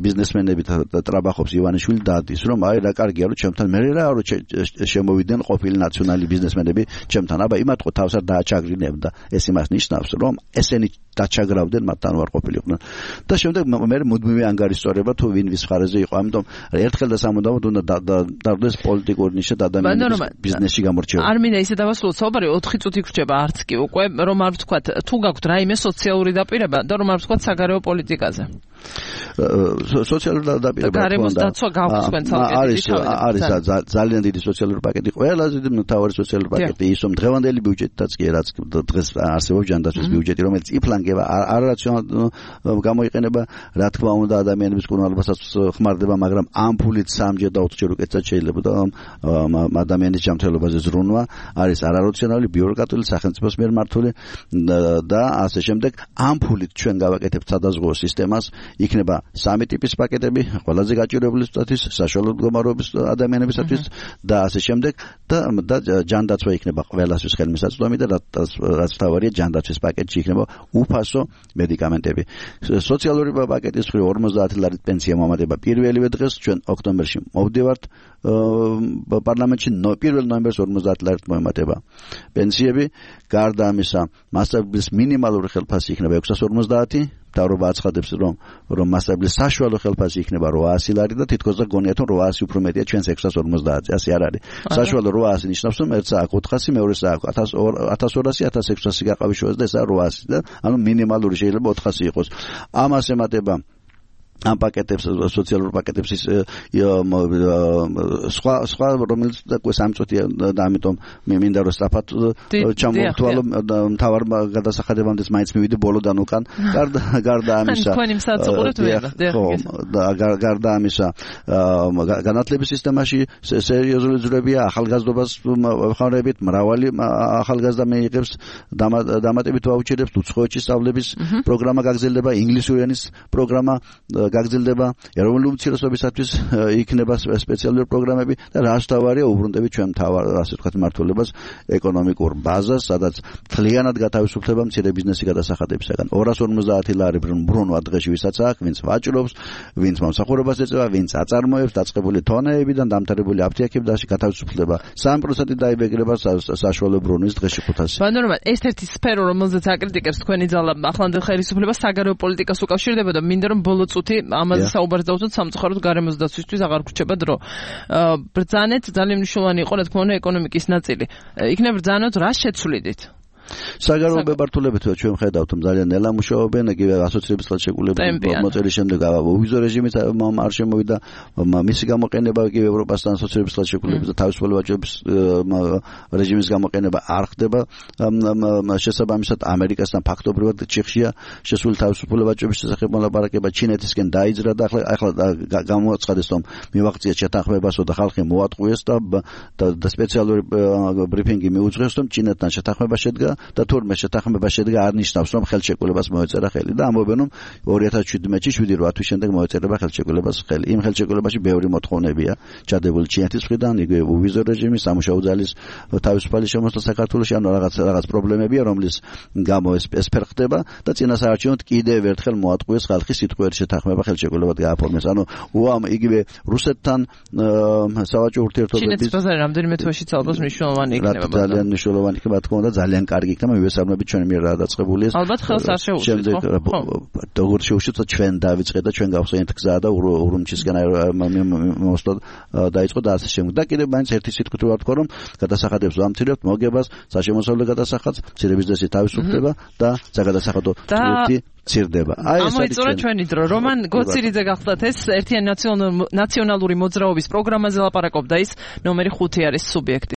ბიზნესმენები ტრაბახობს ივანიშვილი დადის, რომ აი რა კარგია, რომ ჩემთან მე რა რომ შემოვიდნენ ყოფილი ნაციონალური ბიზნესმენები ჩემთან. აბა იმათყო თავს არ დააჩა და ეს იმას ნიშნავს რომ ესენი დაჩაგრავდნენ მათთან არ ყოფილიყვნენ და შემდეგ მე მუდმივი ანგარიშწორება თუ ვინ ვის მხარეზე იყო, ამიტომ ერთხელ და სამუდამოდ უნდა დარდოს პოლიტიკური ნიშა და ადამიანების ბიზნესში გამორჩევა. არ მინდა ისე დავასრულოთ საუბარი, ოთხი წუთი გრჩება არც კი უკვე რომ არ ვთქვათ თუ გაქვთ რაიმე სოციალური დაპირება და რომ არ ვთქვათ საგარეო პოლიტიკაზე. სოციალური დაპირება გარემოს დაცვა გაქვს თქვენ არის არის ძალიან დიდი სოციალური პაკეტი, ყველაზე დიდი მთავარი სოციალური პაკეტი ის რომ დღევანდელი ბიუჯეტიც კი რაც დღეს არსებობს ჯანდაცვის ბიუჯეტი, რომელიც იფლანგება არარაციონალურად გამოიყენება, რა თქმა უნდა ადამიანების კურნალობასაც ხმარდება, მაგრამ ამ ფულით სამჯერ და ოთხჯერ უკეთესად შეიძლება და ადამიანის ჯანმრთელობაზე ზრუნვა არის არარაციონალური, ბიუროკრატიული, სახელმწიფოს მიერ მართული და ასე შემდეგ. ამ ფულით ჩვენ გავაკეთებთ სადაზღვეო სისტემას, იქნება სამი ტიპის პაკეტები, ყველაზე გაჭირებულისთვის, საშუალო მდგომარეობის ადამიანებისათვის და ასე შემდეგ და და ჯანდაცვა იქნება ყველასთვის ხელმისაწვდომი და რაც თავარია ჯანდაცვის პაკეტში იქნება უფასო მედიკამენტები. სოციალური პაკეტის მხრივ ორმოცდაათი ლარით პენსია მომატება პირველივე დღეს, ჩვენ ოქტომბერში მოვდივართ პარლამენტში პირველ ნოემბერს ორმოცდაათი ლარით მოემატება პენსიები. გარდა ამისა, მასწავლებლის მინიმალური ხელფასი იქნება ექვსას ორმოცდაათი, მთავრობა აცხადებს რომ რომ მასწავლებლის საშუალო ხელფასი იქნება რვაასი ლარი და თითქოს და გონიათ რომ რვაასი უფრო მეტია ჩვენს ექვსას ორმოცდაათზე, ასე არ არის. საშუალო რვაასი ნიშნავს რომ ერთსა აქვს ოთხასი, მეორესა აქვს ათას ორასი, ათას ექვსასი გაყავი შუაზე და ესა რვაასი და ანუ მინიმალური შეიძლება ოთხასი იყოს. ამას ემატება ამ პაკეტებს სოციალურ პაკეტებს ის სხვა სხვა რომელიც სამი წუთია და ამიტომ მე მინდა რომ სწრაფად ჩამოვთვალო მთავარ გადასახადებამდე მაინც მივიდე ბოლოდან უკან. გარდა გარდა ამისა და გარდა ამისა განათლების სისტემაში სერიოზული ძვრებია, ახალგაზრდობას ვეხმარებით, მრავალი ახალგაზრდა მიიღებს დამატებით ვაუჩერებს, უცხოეთში სწავლების პროგრამა გაგრძელდება, ინგლისური ენის პროგრამა გაგრძელდება ეროვნული უმცირესობისათვის იქნება სპეციალური პროგრამები და რაც თავარია უბრუნდებით ჩვენ თავარ ასე ვთქვათ მართლობას ეკონომიკურ ბაზას, სადაც მთლიანად გათავისუფლდება მცირე ბიზნესი გადასახადებისაგან. ორას ორმოცდაათი ლარი ბრუნვა დღეში ვისაც აქვს, ვინც ვაჭრობს, ვინც მომსახურებას ეწევა, ვინც აწარმოებს დაწყებული თონეებიდან დამთავრებული აფთიაქები და გათავისუფლდება. სამი პროცენტი დაიბეგრება საშუალო ბრუნვის დღეში ხუთასი. ბანორმა ერთ-ერთი სფერო, რომელზეც აკრიტიკებს თქვენი ძალა ახლანდელ ხელისუფლებას საგარეო პოლიტიკას უკავშირდება და მინდა რომ ბოლო წუთი ამაზე საუბარს დავუძოთ სამწუხაროდ გარემოს დაცვისთვის აღარ გრჩება დრო. ბრძანეთ ძალიან მნიშვნელოვანი იყო რა თქმა უნდა ეკონომიკის ნაწილი. იქნებ ბრძანოთ რა შეცვლიდით? საგარეო მებართულებით ჩვენ ხედავთ ძალიან ნელა მუშაობენ, იგივე ასოცირების ხელშეკრულების მოწერის შემდეგ ვიზო რეჟიმით არ შემოვიდა, მისი გამოყენება იგივე ევროპასთან ასოცირების ხელშეკრულების და თავისუფალი ვაჭრობის რეჟიმის გამოყენება არ ხდება. შესაბამისად ამერიკასთან ფაქტობრივად ჩიხშია შესული თავისუფალი ვაჭრობის შესახებ მოლაპარაკება ჩინეთისკენ დაიძრა და ახლა გამოაცხადეს რომ მივაღწიეთ შეთანხმებასო და ხალხი მოატყუეს და და სპეციალური ბრიფინგი მიუძღეს რომ ჩინეთთან შეთანხმება შედგა და თურმე შეთანხმება შედგა არ ნიშნავს რომ ხელშეკრულებას მოეწერა ხელი და ამბობენ რომ ორი ათას შვიდმეტში შვიდი რვა თვის შემდეგ მოეწერება ხელშეკრულებას ხელი. იმ ხელშეკრულებაში ბევრი მოთხოვნებია ჩადებული ჩინეთის მხრიდან, იგივე ვიზო რეჟიმის, სამუშაო ძალის თავისუფალი შემოსვლა საქართველოში, ანუ რაღაც რაღაც პრობლემებია, რომლის გამო ეს ფერ ხდება და წინასაარჩევნოდ კიდევ ერთხელ მოატყუეს ხალხის სიტყვიერი შეთანხმება ხელშეკრულებად გააფორმეს. ანუ უამ იგივე რუსეთთან სავაჭრო ურთიერთობების ჩინეთის ბაზარი რამდენიმე თვეში ალბათ მნიშვნელოვანი იქნება. ძალიან მნიშვნელოვანი იქნება თქმა უნდა, ძალიან კარგი იქნება მივესალმებით ჩვენ მიერ გადაწყებული ეს. ალბათ ხელს არ შეუშვით ხო? როგორ შეუშვით ჩვენ დავიწყეთ და ჩვენ გავხსენეთ გზა და ურუმჩისკენ მოსვლა დაიწყო და ასე შემდეგ. და კიდევ მაინც ერთი სიტყვით ვთქვა რომ გადასახადებს ვამცირებთ მოგებას, საშემოსავლო გადასახადს, მცირე ბიზნესი თავისუფლდება და საგადასახადო ჯგუფი ცირდება. აი ეს არის ჩვენი დრო. რომან გოცირიძე გახლდათ ეს ერთიანი ნაციონალური მოძრაობის პროგრამაზე ლაპარაკობდა ის ნომერი ხუთი არის სუბიექტი.